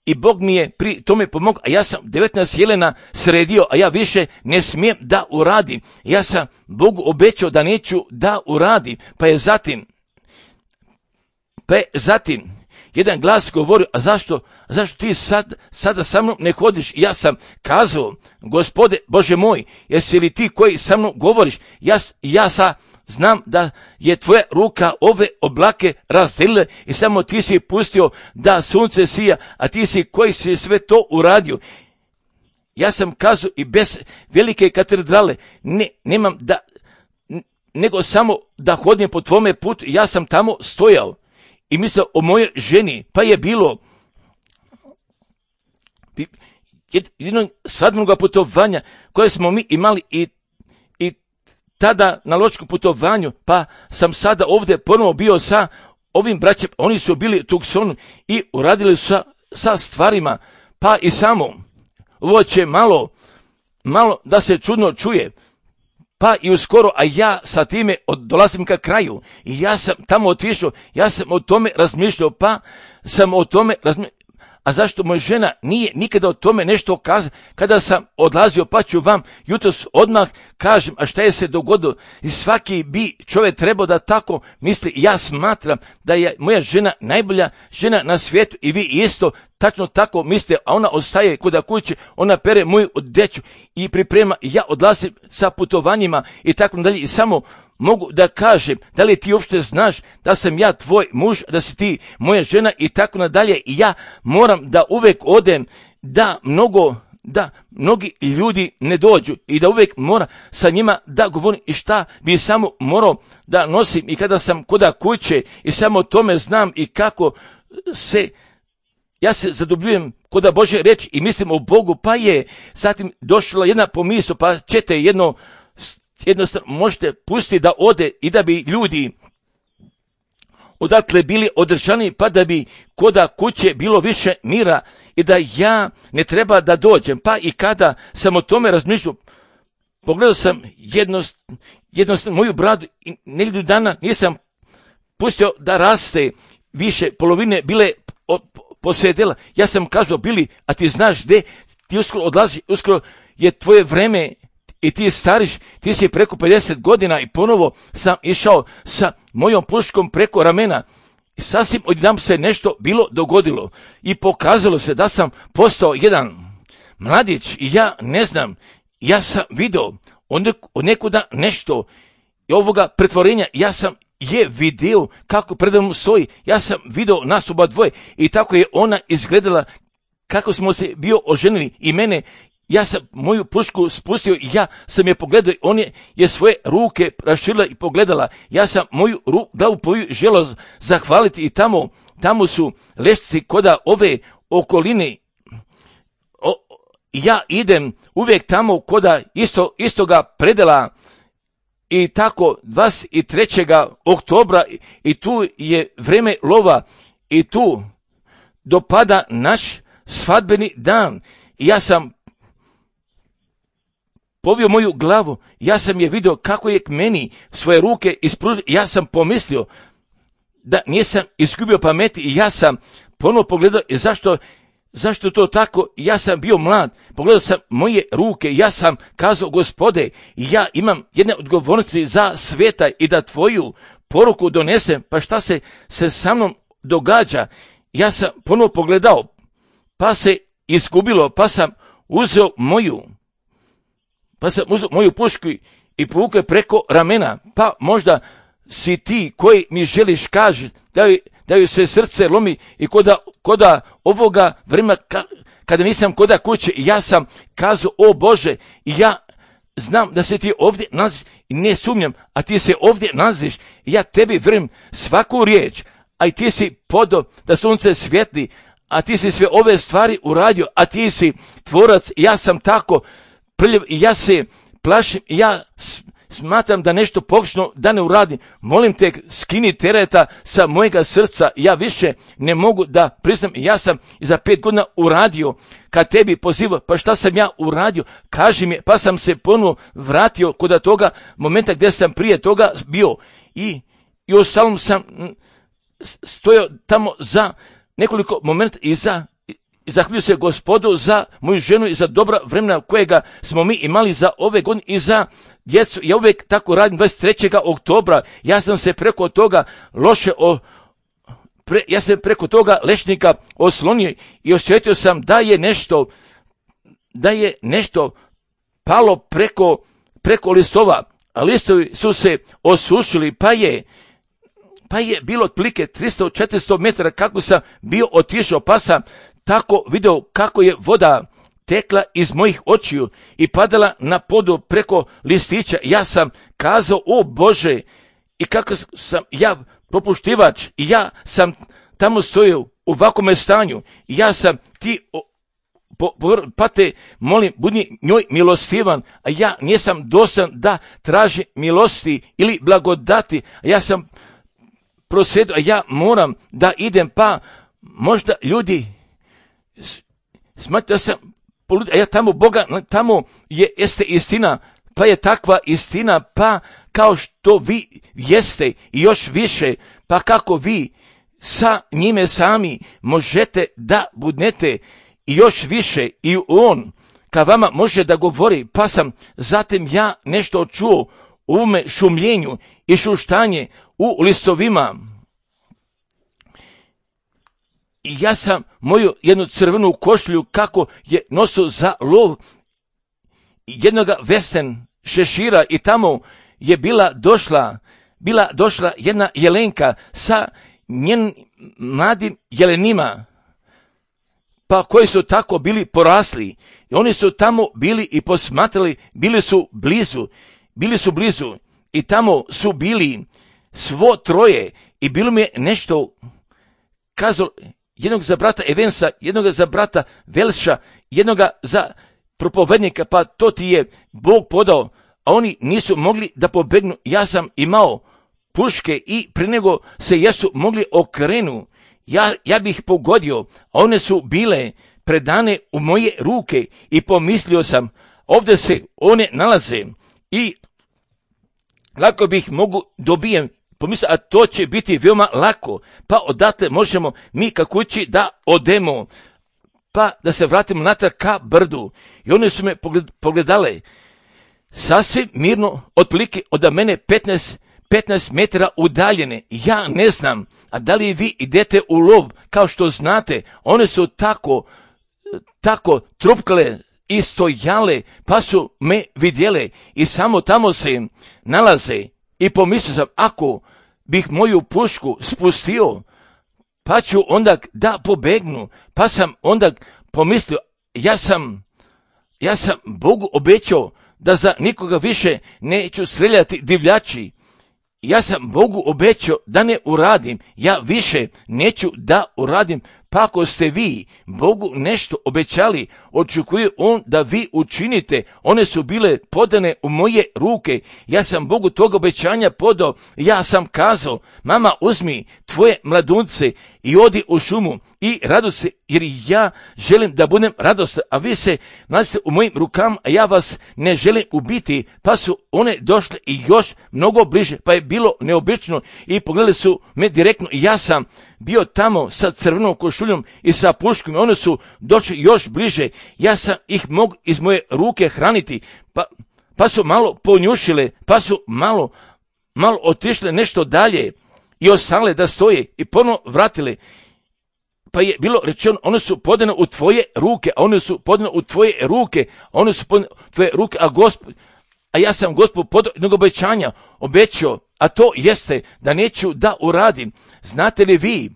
i Bog mi je pri tome pomogao, a ja sam 19 jelena sredio, a ja više ne smijem da uradim. Ja sam Bogu obećao da neću da uradim, pa je zatim jedan glas govorio, a zašto ti sada sa mnom ne hodiš? Ja sam kazao, Gospode Bože moj, jesi li ti koji sa mnom govoriš? Ja znam da je tvoja ruka ove oblake razdelila i samo ti si pustio da sunce sija, a ti si koji si sve to uradio. Ja sam kazao i bez velike katedrale, nemam nego samo da hodim po tvome putu, ja sam tamo stojao. I mislio o mojoj ženi, pa je bilo jednog svadbenog putovanja koje smo mi imali i tada na ločkom putovanju, pa sam sada ovdje ponovo bio sa ovim braćem, oni su bili u Tucsonu i uradili su sa stvarima, pa i samo, ovo će malo da se čudno čuje, pa i uskoro, a ja sa time dolazim ka kraju i ja sam tamo otišao, ja sam o tome razmišljao, a zašto moja žena nije nikada o tome nešto kazala, kada sam odlazio, pa ću vam jutros odmah kažem, a šta je se dogodilo, i svaki bi čovjek trebao da tako misli, ja smatram da je moja žena najbolja žena na svijetu i vi isto tačno tako mislite, a ona ostaje kod kuće, ona pere moju odjeću i priprema, i ja odlazim sa putovanjima i tako dalje i samo mogu da kažem, da li ti uopšte znaš da sam ja tvoj muž, da si ti moja žena i tako nadalje, i ja moram da uvek odem, da mnogi ljudi ne dođu i da uvek mora sa njima da govorim i šta bi samo morao da nosim i kada sam kod kuće i samo o tome znam i kako ja se zadubljujem kod Božje reči i mislim o Bogu, pa je zatim došla jedna pomisao, pa ćete jednostavno možete pustiti da ode i da bi ljudi odakle bili održani, pa da bi kod kuće bilo više mira i da ja ne treba da dođem. Pa i kada sam o tome razmišljao, pogledao sam jednostavno moju bradu i nedelju dana nisam pustio da raste više, polovine bile posjedela. Ja sam kazao, Bili, a ti znaš gde, ti uskoro odlazi, uskoro je tvoje vreme i ti stariš, ti si preko 50 godina i ponovo sam išao sa mojom puškom preko ramena. I sasvim odjedanput se nešto bilo dogodilo i pokazalo se da sam postao jedan mladić i ja ne znam, ja sam video od nekuda nešto i ovoga pretvorenja, ja sam vidio kako predavnom stoji, ja sam video nas oba dvoje i tako je ona izgledala kako smo se bio oženili i mene ja sam moju pušku spustio i ja sam je pogledao, on je svoje ruke raširila i pogledala. Ja sam moju glavu želio zahvaliti i tamo su lešci koda ove okoline. Ja idem uvijek tamo koda istoga predela i tako 23. oktobra i tu je vreme lova i tu dopada naš svadbeni dan. I ja sam povio moju glavu, ja sam je vidio kako je k meni svoje ruke ispružio. Ja sam pomislio da nisam izgubio pameti i ja sam ponovo pogledao i zašto to tako? Ja sam bio mlad, pogledao sam moje ruke, ja sam kazao, Gospode, ja imam jedne odgovornosti za sveta i da tvoju poruku donesem, pa šta se sa mnom događa? Ja sam ponovo pogledao, pa se izgubilo, pa sam uzeo moju pušku i povukao preko ramena, pa možda si ti koji mi želiš kaži da joj se srce lomi i koda ovoga vremena kada nisam koda kuće, ja sam kazao, o Bože, ja znam da se ti ovdje nalaziš i ne sumnjam, a ti se ovdje nalaziš, ja tebi vjerujem svaku riječ, a i ti si podao da sunce svijetli, a ti si sve ove stvari uradio, a ti si tvorac, ja sam tako prljav i ja se plašim i ja smatram da nešto pogrešno da ne uradim. Molim te, skini tereta sa mojega srca, ja više ne mogu da priznam, ja sam za 5 godina uradio, kad tebi pozivao, pa šta sam ja uradio, kaži mi, pa sam se ponovo vratio kod toga momenta gdje sam prije toga bio i ostalom sam stojao tamo za nekoliko momenta i zahvaljujem se Gospodu za moju ženu i za dobra vremena kojega smo mi imali za ove godine i za djecu. Ja uvijek tako radim 23. oktobra. Ja sam se preko toga ja sam preko toga lešnika oslonio i osjetio sam da je nešto palo preko listova. A listovi su se osušili, pa je bilo otprilike 300-400 metara kako sam bio otišao, pa sam tako video kako je voda tekla iz mojih očiju i padala na podu preko listića. Ja sam kazao, o Bože, i kako sam ja propuštivač i ja sam tamo stojio u ovakvome stanju i ja sam pa te molim, budi njoj milostivan, a ja nisam dostojan da traži milosti ili blagodati, a ja sam prosjedio, a ja moram da idem, pa možda ljudi smatram da sam polud, a ja tamo Boga, tamo jeste istina, pa je takva istina, pa kao što vi jeste i još više, pa kako vi sa njime sami možete da budnete i još više i on ka vama može da govori, pa sam zatim ja nešto čuo u ovome šumljenju i šuštanje u listovima. I ja sam moju jednu crvenu košlju kako je nosio za lov jednoga vesten šešira i tamo je bila došla jedna jelenka sa njenim mladim jelenima, pa koji su tako bili porasli i oni su tamo bili i posmatrali, bili su blizu i tamo su bili svo troje i bilo mi je nešto kazalo, jednog za brata Evensa, jednog za brata Velša, jednog za propovednika, pa to ti je Bog podao, a oni nisu mogli da pobegnu. Ja sam imao puške i prije nego se jesu mogli okrenu, ja bih pogodio, a one su bile predane u moje ruke i pomislio sam, ovdje se one nalaze i lako bih mogu dobijem, pomislio, a to će biti veoma lako, pa odatle možemo mi ka kući da odemo, pa da se vratimo natrag ka brdu. I one su me pogledale sasvim mirno, otprilike od mene 15 metara udaljene. Ja ne znam, a da li vi idete u lov, kao što znate, one su tako trupkale i stojale, pa su me vidjele i samo tamo se nalaze. I pomislio sam, ako bih moju pušku spustio, pa ću onda da pobegnu. Pa sam onda pomislio, ja sam Ja sam Bogu obećao da za nikoga više neću streljati divljači. Ja sam Bogu obećao da ne uradim, ja više neću da uradim. Pa ako ste vi Bogu nešto obećali, očekuje on da vi učinite. One su bile podane u moje ruke. Ja sam Bogu tog obećanja podao. Ja sam kazao, mama, uzmi tvoje mladunce i odi u šumu i raduj se, jer ja želim da budem radostan, a vi se nalazite u mojim rukama, a ja vas ne želim ubiti. Pa su one došle i još mnogo bliže, pa je bilo neobično i pogledali su me direktno i ja sam bio tamo sa crvenom košuljom i sa puškom. One su došli još bliže. Ja sam ih mogu iz moje ruke hraniti. Pa su malo ponjušile, pa su malo otišle nešto dalje i ostale da stoje i ponovno vratile. Pa je bilo rečeno, one su podane u tvoje ruke, a one su podane u tvoje ruke, a one su podane u tvoje ruke, a ja sam Gospod podao jednog obećanja, obećao, a to jeste da neću da uradim. Znate li vi,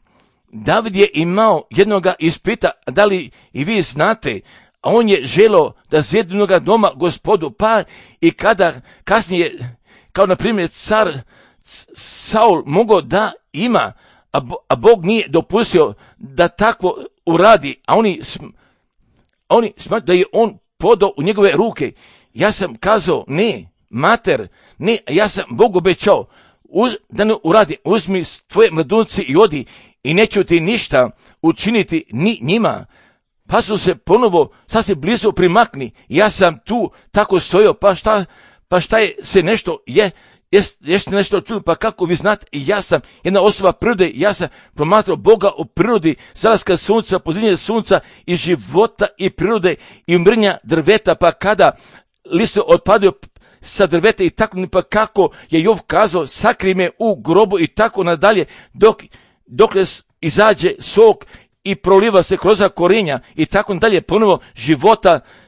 David je imao jednoga ispita, da li i vi znate, a on je želio da zjede jednoga doma Gospodu, pa i kada kasnije, kao na primjer car Saul mogao da ima, a Bog nije dopustio da takvo uradi, a oni smatruju da je on podao u njegove ruke. Ja sam kazao, ne, mater, ne, ja sam Bogu obećao, da ne uradi, uzmi tvoje mladunce i odi i neću ti ništa učiniti ni njima. Pa su se ponovo sasvim blizu primakni. Ja sam tu tako stojao, pa šta je se nešto, jeste nešto čuli, pa kako vi znate, ja sam jedna osoba prirode, ja sam promatrao Boga u prirodi, zalaska sunca, podizanje sunca i života i prirode i umrnja drveta, pa kada listo otpadaju sa drveta i tako, pa kako je Jov kazao, sakri me u grobu i tako nadalje, dok izađe sok i proliva se kroz korenja i tako dalje, ponovo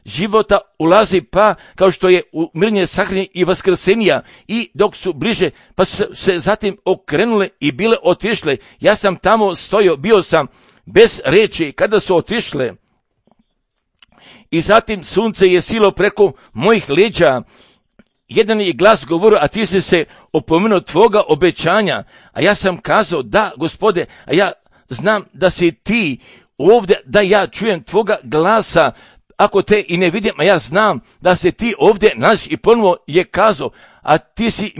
života ulazi, pa kao što je umirenje, sahranjenje i vaskrsenija, i dok su bliže, pa su se zatim okrenule i bile otišle. Ja sam tamo stojao, bio sam bez reči kada su otišle. I zatim sunce je silo preko mojih leđa. Jedan je glas govorio, a ti si se opomenuo tvoga obećanja. A ja sam kazao, da, Gospode, a ja znam da si ti ovdje, da ja čujem tvoga glasa, ako te i ne vidim, a ja znam da se ti ovdje nalaziš. I ponovo je kazao, a ti si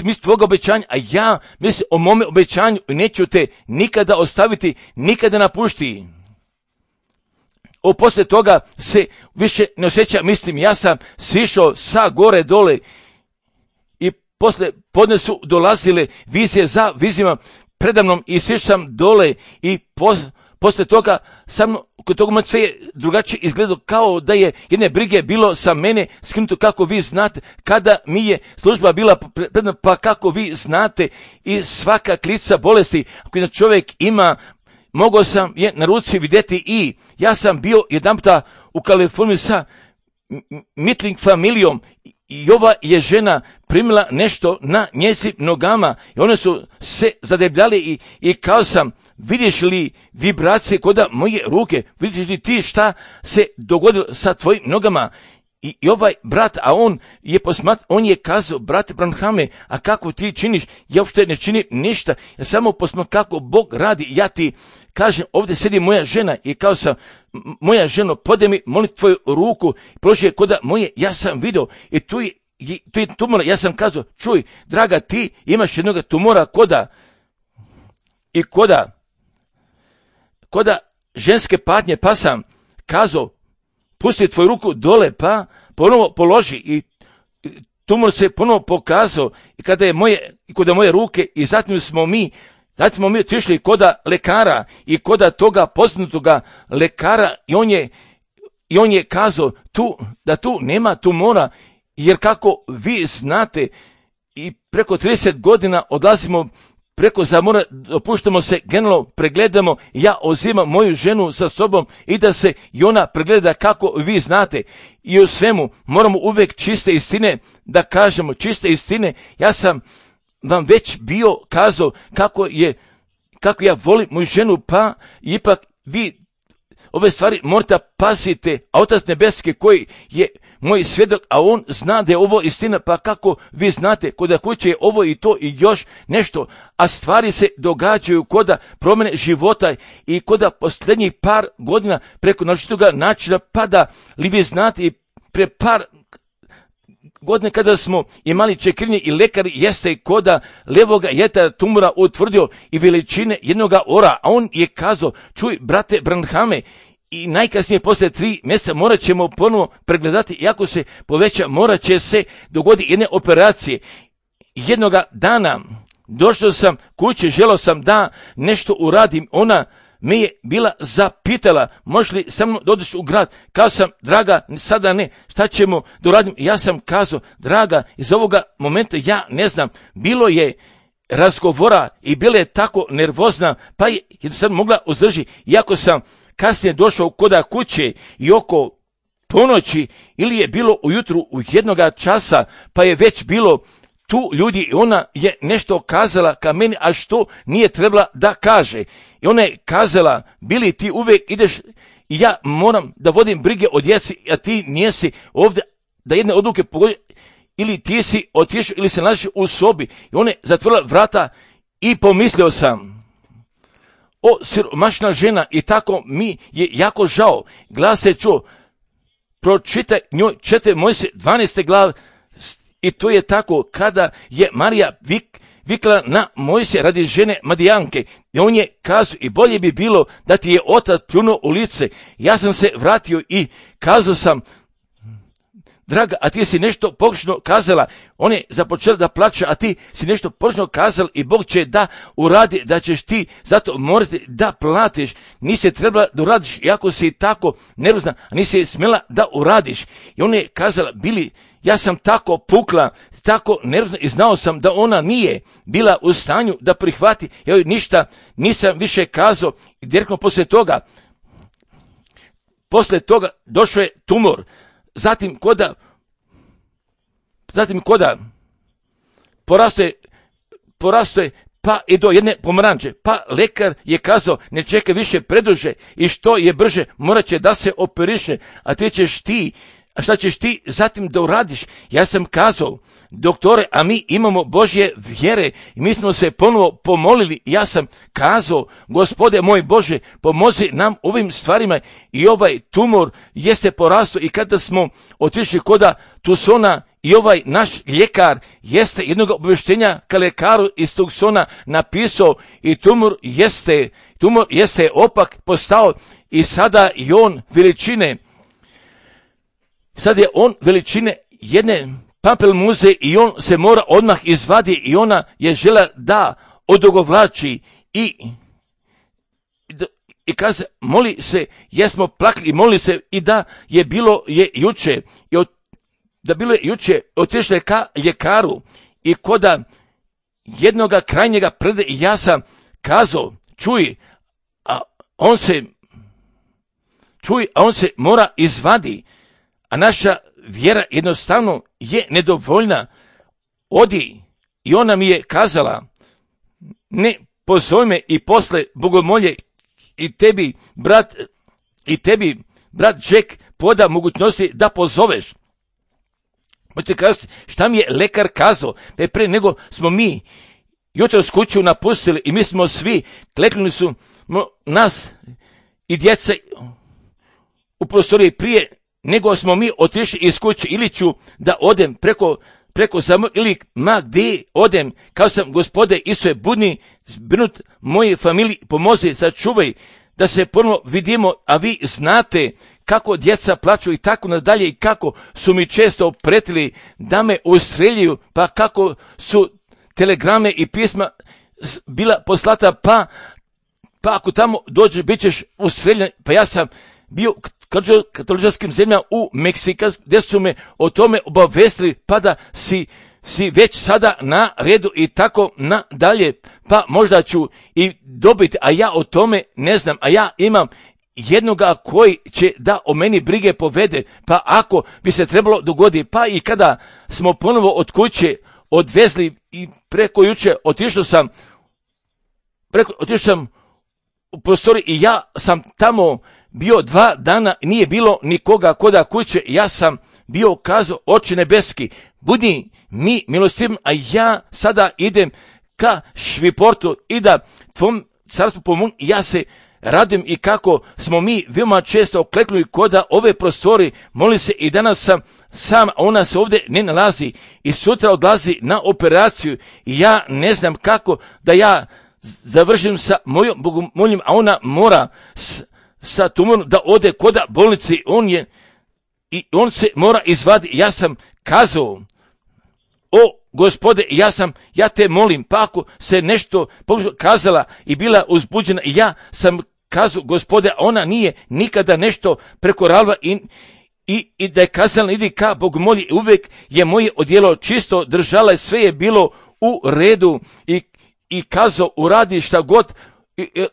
mi tvoga obećanja, a ja mislim o mome obećanju i neću te nikada ostaviti, nikada napušti. Poslije toga se više ne osjeća, mislim, ja sam sišao sa gore dole i poslije podne su dolazile vizije za vizijama predamnom i sišao sam dole i poslije toga sam kod toga sve je drugačije izgledalo, kao da je jedne brige bilo sa mene skinuto, kako vi znate, kada mi je služba bila predna, pa kako vi znate, i svaka klica bolesti, ako jedan čovjek ima, mogao sam je na ruci vidjeti. I ja sam bio jedanputa u Kaliforniji sa Mitling familijom i ova je žena primila nešto na njezim nogama i one su se zadebljali i kao sam, vidiš li vibracije kod moje ruke, vidiš li ti šta se dogodilo sa tvojim nogama? I ovaj brat, a on je kazao, brate Branhame, a kako ti činiš? Ja uopšte ne činim ništa, ja samo posmatram kako Bog radi. Ja ti kažem, ovdje sedi moja žena i kao sam, moja ženo, podaj mi, molim tvoju ruku, položi je koda moje, ja sam vidio i tu je tumora. Ja sam kazao, čuj, draga, ti imaš jednog tumora koda ženske patnje, pa sam kazao, pusti tvoju ruku dole, pa ponovo položi i tumor se ponovo pokazao i kada je kod moje ruke, i zatim smo mi otišli koda lekara i koda toga poznatoga lekara i on je kazao da tu nema tumora, jer kako vi znate, i preko 30 godina odlazimo preko zamora, opuštamo se, generalno pregledamo, ja uzimam moju ženu sa sobom i da se i ona pregleda, kako vi znate. I u svemu moramo uvijek čiste istine da kažemo, čiste istine. Ja sam vam već bio kazao kako ja volim moju ženu, pa ipak vi ove stvari morate pazite, a Otac nebeski koji je moj svjedok, a on zna da je ovo istina, pa kako vi znate, kod kuće je ovo i to i još nešto, a stvari se događaju kod promjene života i kod posljednjih par godina preko načitoga načina, pa da li vi znate i pre par godine kada smo imali čekirnje i lekar jeste koda levoga jeta tumora utvrdio i veličine jednoga ora, a on je kazao, čuj brate Branhame, i najkasnije poslije 3 mjeseca morat ćemo ponovo pregledati i ako se poveća morat će se dogoditi jedne operacije. Jednoga dana došao sam kući, želio sam da nešto uradim, ona me je bila zapitala, možeš li sa mnom dođeš u grad? Kazao sam, draga, sada ne, šta ćemo da uradim? Ja sam kazao, draga, iz ovoga momenta ja ne znam, bilo je razgovora i bila je tako nervozna, pa je jednostavno mogla uzdržiti. Iako sam kasnije došao kod kuće i oko ponoći ili je bilo ujutru u 1 časa, pa je već bilo tu ljudi i ona je nešto kazala ka meni, a što nije trebala da kaže. I ona je kazala, bili ti uvijek ideš i ja moram da vodim brige o djeci, a ti nijesi ovdje da jedne odluke pogodi, ili ti si otišao ili se nalaziš u sobi. I ona je zatvorila vrata i pomislio sam, o siromašna žena, i tako mi je jako žao. Glas se čuo, pročitaj njoj 4 Mojsije 12. glave, i to je tako kada je Marija vikla na Mojsija radi žene Madijanke. I on je kazao, i bolje bi bilo da ti je otac pljunuo u lice. Ja sam se vratio i kazao sam, draga, a ti si nešto pogrešno kazala. On je započela da plače, a ti si nešto pogrešno kazala i Bog će da uradi, da ćeš ti zato morati da platiš. Nisi trebala da uradiš, iako si tako nervozna, a nisi smjela da uradiš. I on je kazala, bili, ja sam tako pukla, tako nervozna i znao sam da ona nije bila u stanju da prihvati. Ja joj ništa nisam više kazao i direktno poslije toga došao je tumor. Zatim koda porasto je pa i do jedne pomaranče. Pa lekar je kazao, ne čekaj više preduže i što je brže morat će da se operiše, a šta ćeš ti zatim da uradiš? Ja sam kazao, doktore, a mi imamo Božje vjere i mi smo se ponovo pomolili. Ja sam kazao, Gospode moj Bože, pomozi nam ovim stvarima, i ovaj tumor jeste porastao. I kada smo otišli koda Tucsona i ovaj naš ljekar jeste jednog obavještenja ka lekaru iz Tucsona napisao, i tumor jeste opak postao i sada je on veličine. Sad je on veličine jedne pampelmuze i on se mora odmah izvadi, i ona je žela da odugovlači i kaže, moli se, jesmo plakli i moli se, i da je bilo je juče, otišle ka ljekaru i koda jednoga krajnjega prede, i ja sam kazao, čuj, a on se mora izvadi. A naša vjera jednostavno je nedovoljna. Odi. I ona mi je kazala, ne pozove me i posle bogomolje i tebi brat Jack poda mogućnosti da pozoveš. Možete kazati, šta mi je lekar kazao? Pre nego smo mi jutro s kuću napustili i mi smo svi, kleknuli su nas i djeca u prostoriji prije nego smo mi otišli iz kuće, ili ću da odem preko samo, ili ma gdje odem, kao sam, Gospode Isuse, budni zbrinut moje familiji, pomozi, sačuvaj da se ponovno vidimo, a vi znate kako djeca plaću i tako nadalje, i kako su mi često pretili da me ustreljuju, pa kako su telegrame i pisma bila poslata, pa ako tamo dođeš, bit ćeš ustreljen. Pa ja sam bio katoličarskim zemljama u Meksika, gdje su me o tome obavestili, pa da si već sada na redu i tako nadalje, pa možda ću i dobiti, a ja o tome ne znam, a ja imam jednoga koji će da o meni brige povede, pa ako bi se trebalo dogoditi, pa i kada smo ponovo od kuće odvezli i preko juče otišao sam u prostoriju i ja sam tamo bio 2 dana, nije bilo nikoga koda kuće, ja sam bio kazao, Oče nebeski, budi mi milostiv, a ja sada idem ka Šviportu i da tvom carstvu pomognem. Ja se radim i kako smo mi veoma često okleknuli koda ove prostori, moli se i danas sam sam, a ona se ovdje ne nalazi i sutra odlazi na operaciju i ja ne znam kako da ja završim sa mojom bogomoljom, a ona mora sa tumorom da ode koda bolnici, on se mora izvaditi. Ja sam kazao, o Gospode, ja te molim, pa ako se nešto kazala i bila uzbuđena, ja sam kazao, Gospode, ona nije nikada nešto prekoravala i da je kazala, idi ka bogomolji, uvijek je moje odjelo čisto držala i sve je bilo u redu i kazao, uradi šta god,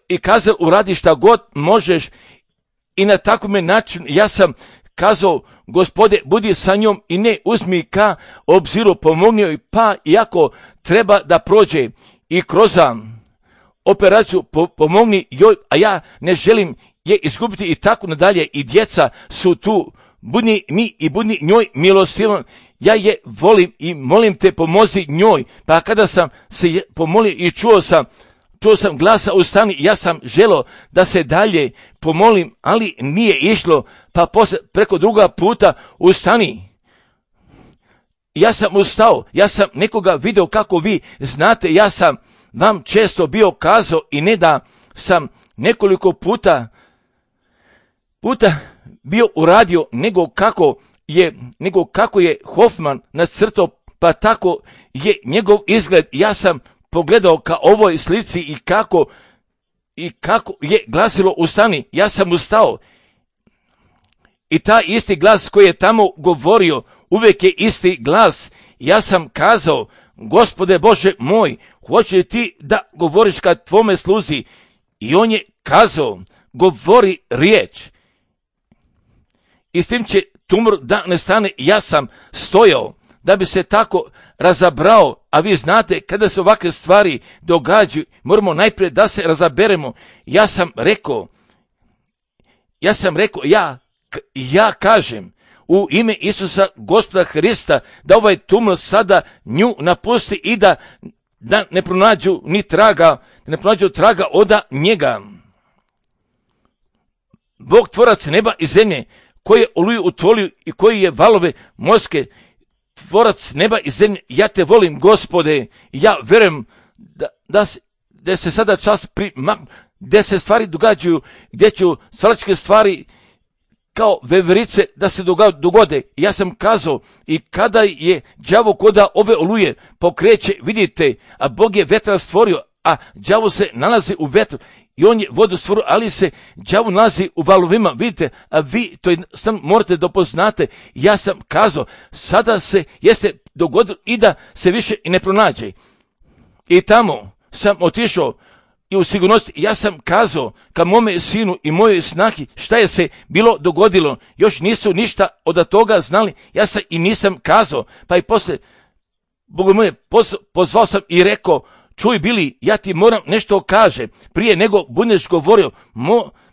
i kazao, uradi šta god možeš i na takvom način ja sam kazao, Gospode, budi sa njom i ne uzmi ka obziru, pomogni joj, pa iako treba da prođe i kroz operaciju, pomogni joj, a ja ne želim je izgubiti i tako nadalje, i djeca su tu, budi mi i budi njoj milostivan, ja je volim i molim te, pomozi njoj. Pa kada sam se pomolio i čuo sam glasa ustani, ja sam želio da se dalje pomolim, ali nije išlo, pa preko druga puta ustani. Ja sam ustao, ja sam nekoga vidio kako vi znate, ja sam vam često bio kazao i ne da sam nekoliko puta bio uradio, nego kako je Hoffman nacrtao, pa tako je njegov izgled. Ja sam pogledao ka ovoj slici i kako je glasilo ustani, ja sam ustao. I taj isti glas koji je tamo govorio, uvijek je isti glas. Ja sam kazao, Gospode Bože moj, hoće li ti da govoriš kad tvome sluzi? I on je kazao, govori riječ. I s tim će tumor da ne stane. Ja sam stojao da bi se tako razabrao, a vi znate kada se ovakve stvari događaju, moramo najprije da se razaberemo. Ja sam rekao, ja kažem u ime Isusa Gospoda Hrista da ovaj tumor sada nju napusti i da ne pronađu ni traga, od njega. Bog tvorac neba i zemlje, koji je oluju utvolio i koji je valove morske, tvorac neba i zemlje, ja te volim, Gospode, ja verujem da se sada čas gdje se stvari događaju, gdje ću stvarčke stvari kao veverice da se dogode. Ja sam kazao, i kada je đavo koda ove oluje pokreće, vidite, a Bog je vetra stvorio, a đavo se nalazi u vetru i on je vodu stvorio, ali se đavo nalazi u valovima, vidite, a vi to morate da poznate. Ja sam kazao, sada se jeste dogodilo i da se više i ne pronađe. I tamo sam otišao i u sigurnosti, ja sam kazao ka mome sinu i mojoj snahi šta je se bilo dogodilo. Još nisu ništa od toga znali, ja sam i nisam kazao. Pa i posle, Bogu moje, pozvao sam i rekao, čuj Bili, ja ti moram nešto kaže. Prije nego budeš govorio,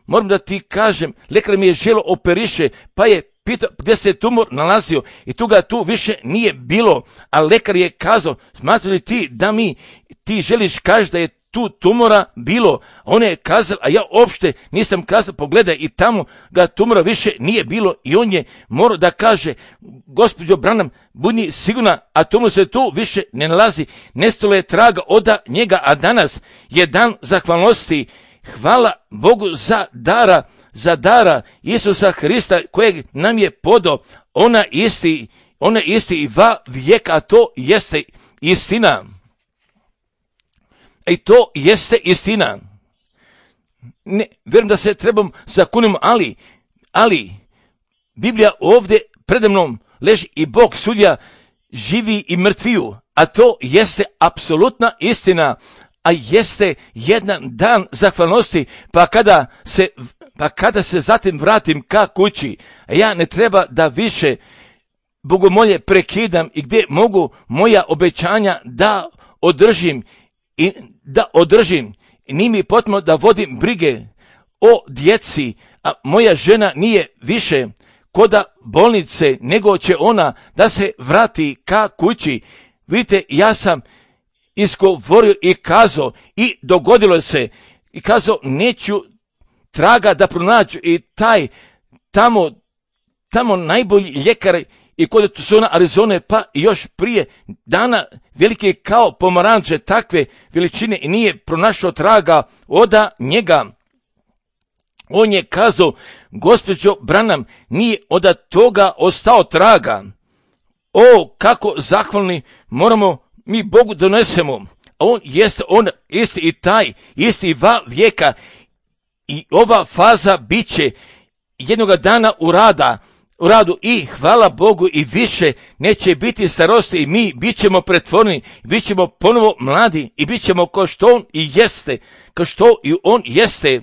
moram da ti kažem, lekar mi je želo operiše, pa je pitao gdje se tumor nalazio i tu više nije bilo. A lekar je kazao, smatrali li ti da ti želiš kaži da je tu tumora bilo? On je kazao, a ja uopšte nisam kazao, pogledaj, i tamo ga tumora više nije bilo i on je morao da kaže, gospođo Branham, budi sigurna, a tumor se tu više ne nalazi, nestalo je traga od njega, a danas je dan zahvalnosti. Hvala Bogu za dara Isusa Hrista kojeg nam je podao, ona isti i va vijeka, a to jeste istina. I to jeste istina. Ne, vjerujem da se trebam zakunimo, ali Biblija ovdje predamnom leži i Bog sudja živi i mrtviju, a to jeste apsolutna istina, a jeste jedan dan zahvalnosti, pa kada se zatim vratim ka kući, ja ne treba da više bogomolje prekidam i gdje mogu moja obećanja da održim, nije mi potrebno da vodim brige o djeci, a moja žena nije više koda bolnice, nego će ona da se vrati ka kući. Vidite, ja sam izgovorio i kazao i dogodilo se i kazao neću traga da pronađu i taj tamo najbolji ljekar i kod Tucsona, Arizone, pa još prije dana velike kao pomaranče takve veličine i nije pronašao traga oda njega. On je kazao, gospođo Branham, nije od toga ostao traga. O, kako zahvalni moramo mi Bogu donesemo. A on isti i taj, isti vijeka i ova faza bit će jednoga dana u radu i hvala Bogu i više neće biti starosti i mi bit ćemo pretvoreni, bit ćemo ponovo mladi i bit ćemo kao što on i jeste, kao što i on jeste.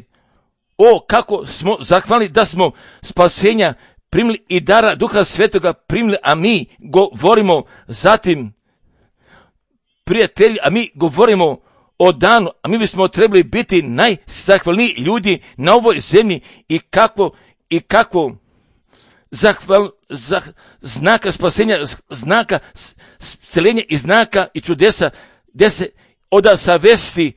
O, kako smo zahvalni da smo spasenja primili i dara Duha Svetoga primili, a mi govorimo zatim, prijatelji, a mi govorimo o danu, a mi bismo trebali biti najzahvalniji ljudi na ovoj zemlji i kako znaka spasenja, znaka sceljenja i znaka i čudesa, gdje se oda savesti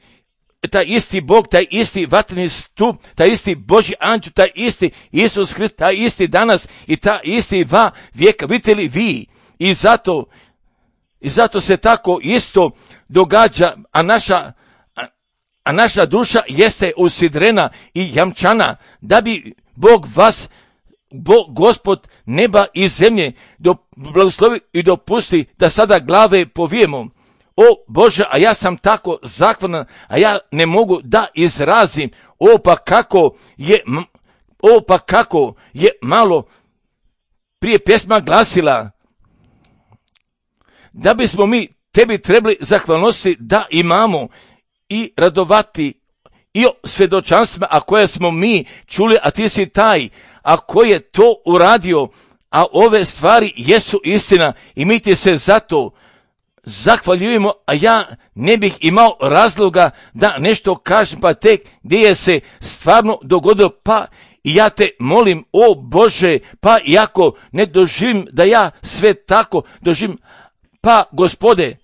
taj isti Bog, taj isti vatreni stup, taj isti Božji anđel, taj isti Isus Hrist, taj isti danas i taj isti vijeka. Vidite li vi? I zato se tako isto događa, a naša duša jeste usidrena i jamčana, da bi Bog vas, Gospod neba i zemlje, blagoslovi i dopusti da sada glave povijemo. O Bože, a ja sam tako zahvalan, a ja ne mogu da izrazim. O pa kako je malo prije pjesma glasila, da bismo mi tebi trebali zahvalnosti da imamo i radovati i o svjedočanstvima, a koje smo mi čuli, a ti si taj, a ko je to uradio, a ove stvari jesu istina i mi ti se zato zahvaljujemo, a ja ne bih imao razloga da nešto kažem, pa tek gdje je se stvarno dogodilo, pa i ja te molim, o Bože, pa iako ne doživim da ja sve tako doživim, pa Gospode,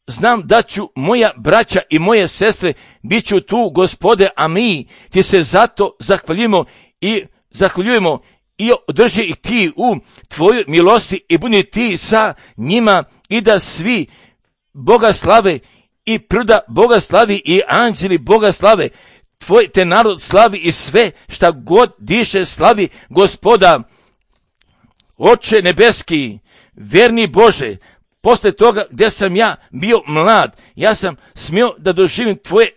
znam da ću moja braća i moje sestre bit ću tu, Gospode, a mi ti se zato zahvaljujemo i održi ih ti u tvojoj milosti i budi ti sa njima i da svi Boga slave i priroda Boga slavi i anđeli Boga slave. Tvoj te narod slavi i sve šta god diše slavi Gospoda. Oče nebeski, verni Bože, posle toga gdje sam ja bio mlad, ja sam smio da doživim tvoje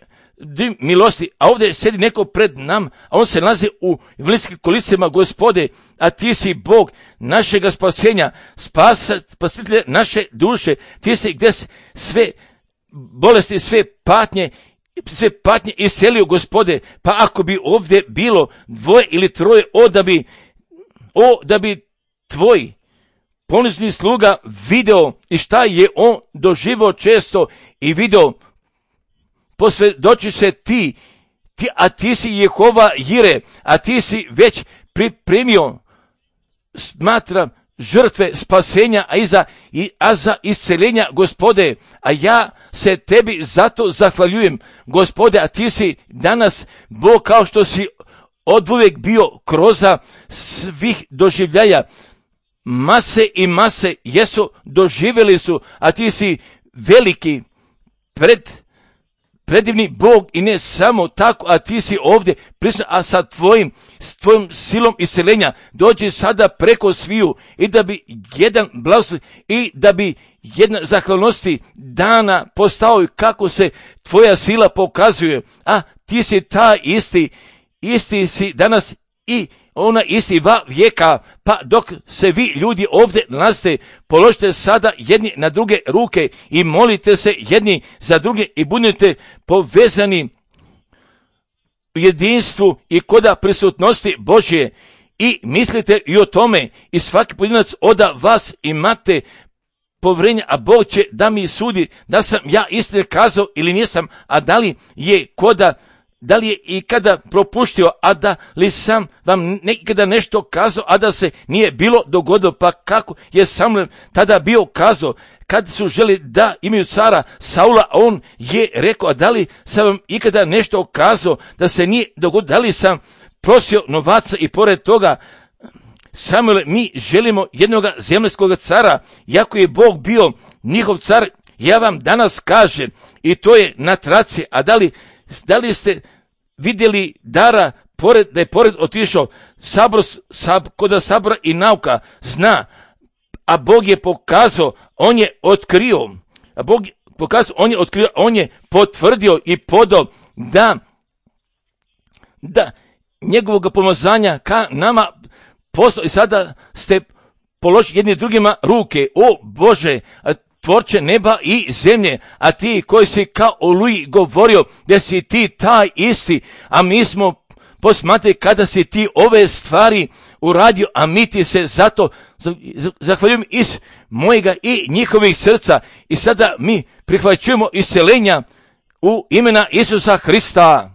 milosti, a ovdje sjedi neko pred nam, a on se nalazi u invalidskim kolicima, Gospode, a ti si Bog našega spasenja, spasitelj naše duše, ti si gdje sve bolesti, sve patnje iselio, Gospode, pa ako bi ovdje bilo 2 ili 3, da bi tvoj ponizni sluga video i šta je on doživio često i video, posvjedoči se a ti si Jehova Jire, a ti si već pripremio, smatram, žrtve spasenja, a za isceljenja, Gospode, a ja se tebi zato zahvaljujem, Gospode, a ti si danas Bog kao što si oduvijek bio kroz svih doživljaja. Mase i mase jesu doživjeli su, a ti si veliki, predivni Bog i ne samo tako, a ti si ovdje prisutan, a sa tvojom silom isceljenja dođi sada preko sviju i da bi jedan blagoslov i da bi jedna zahvalnosti dana postao i kako se tvoja sila pokazuje, a ti si ta isti si danas i ona isti vijeka, pa dok se vi ljudi ovdje nalazite, položite sada jedni na druge ruke i molite se jedni za druge i budete povezani u jedinstvu i koda prisutnosti Božje i mislite i o tome i svaki pojedinac od vas imate povjerenje, a Bog će da mi sudi da sam ja istine kazao ili nisam, a da li je koda da li je ikada propuštio, a da li sam vam nekada nešto kazao, a da se nije bilo dogodilo? Pa kako je Samuel tada bio kazao, kad su želi da imaju cara Saula, a on je rekao, a da li sam vam ikada nešto kazao da se nije dogodilo? Da li sam prosio novaca? I pored toga, Samuel, mi želimo jednog zemaljskog cara, jako je Bog bio njihov car. Ja vam danas kažem, i to je na traci, a da li ste vidjeli Dara, da je pored otišao kod sabora i nauka zna, a Bog je pokazao, on je otkrio, on je potvrdio i podao da njegovog pomazanja ka nama poslao, i sada ste položili jedni drugima ruke. O Bože, tvorče neba i zemlje, a ti koji si kao Oluji govorio da si ti taj isti, a mi smo posmatrali kada si ti ove stvari uradio, a mi ti se zato zahvaljujem iz mojega i njihovih srca. I sada mi prihvaćujemo isceljenja u imena Isusa Hrista.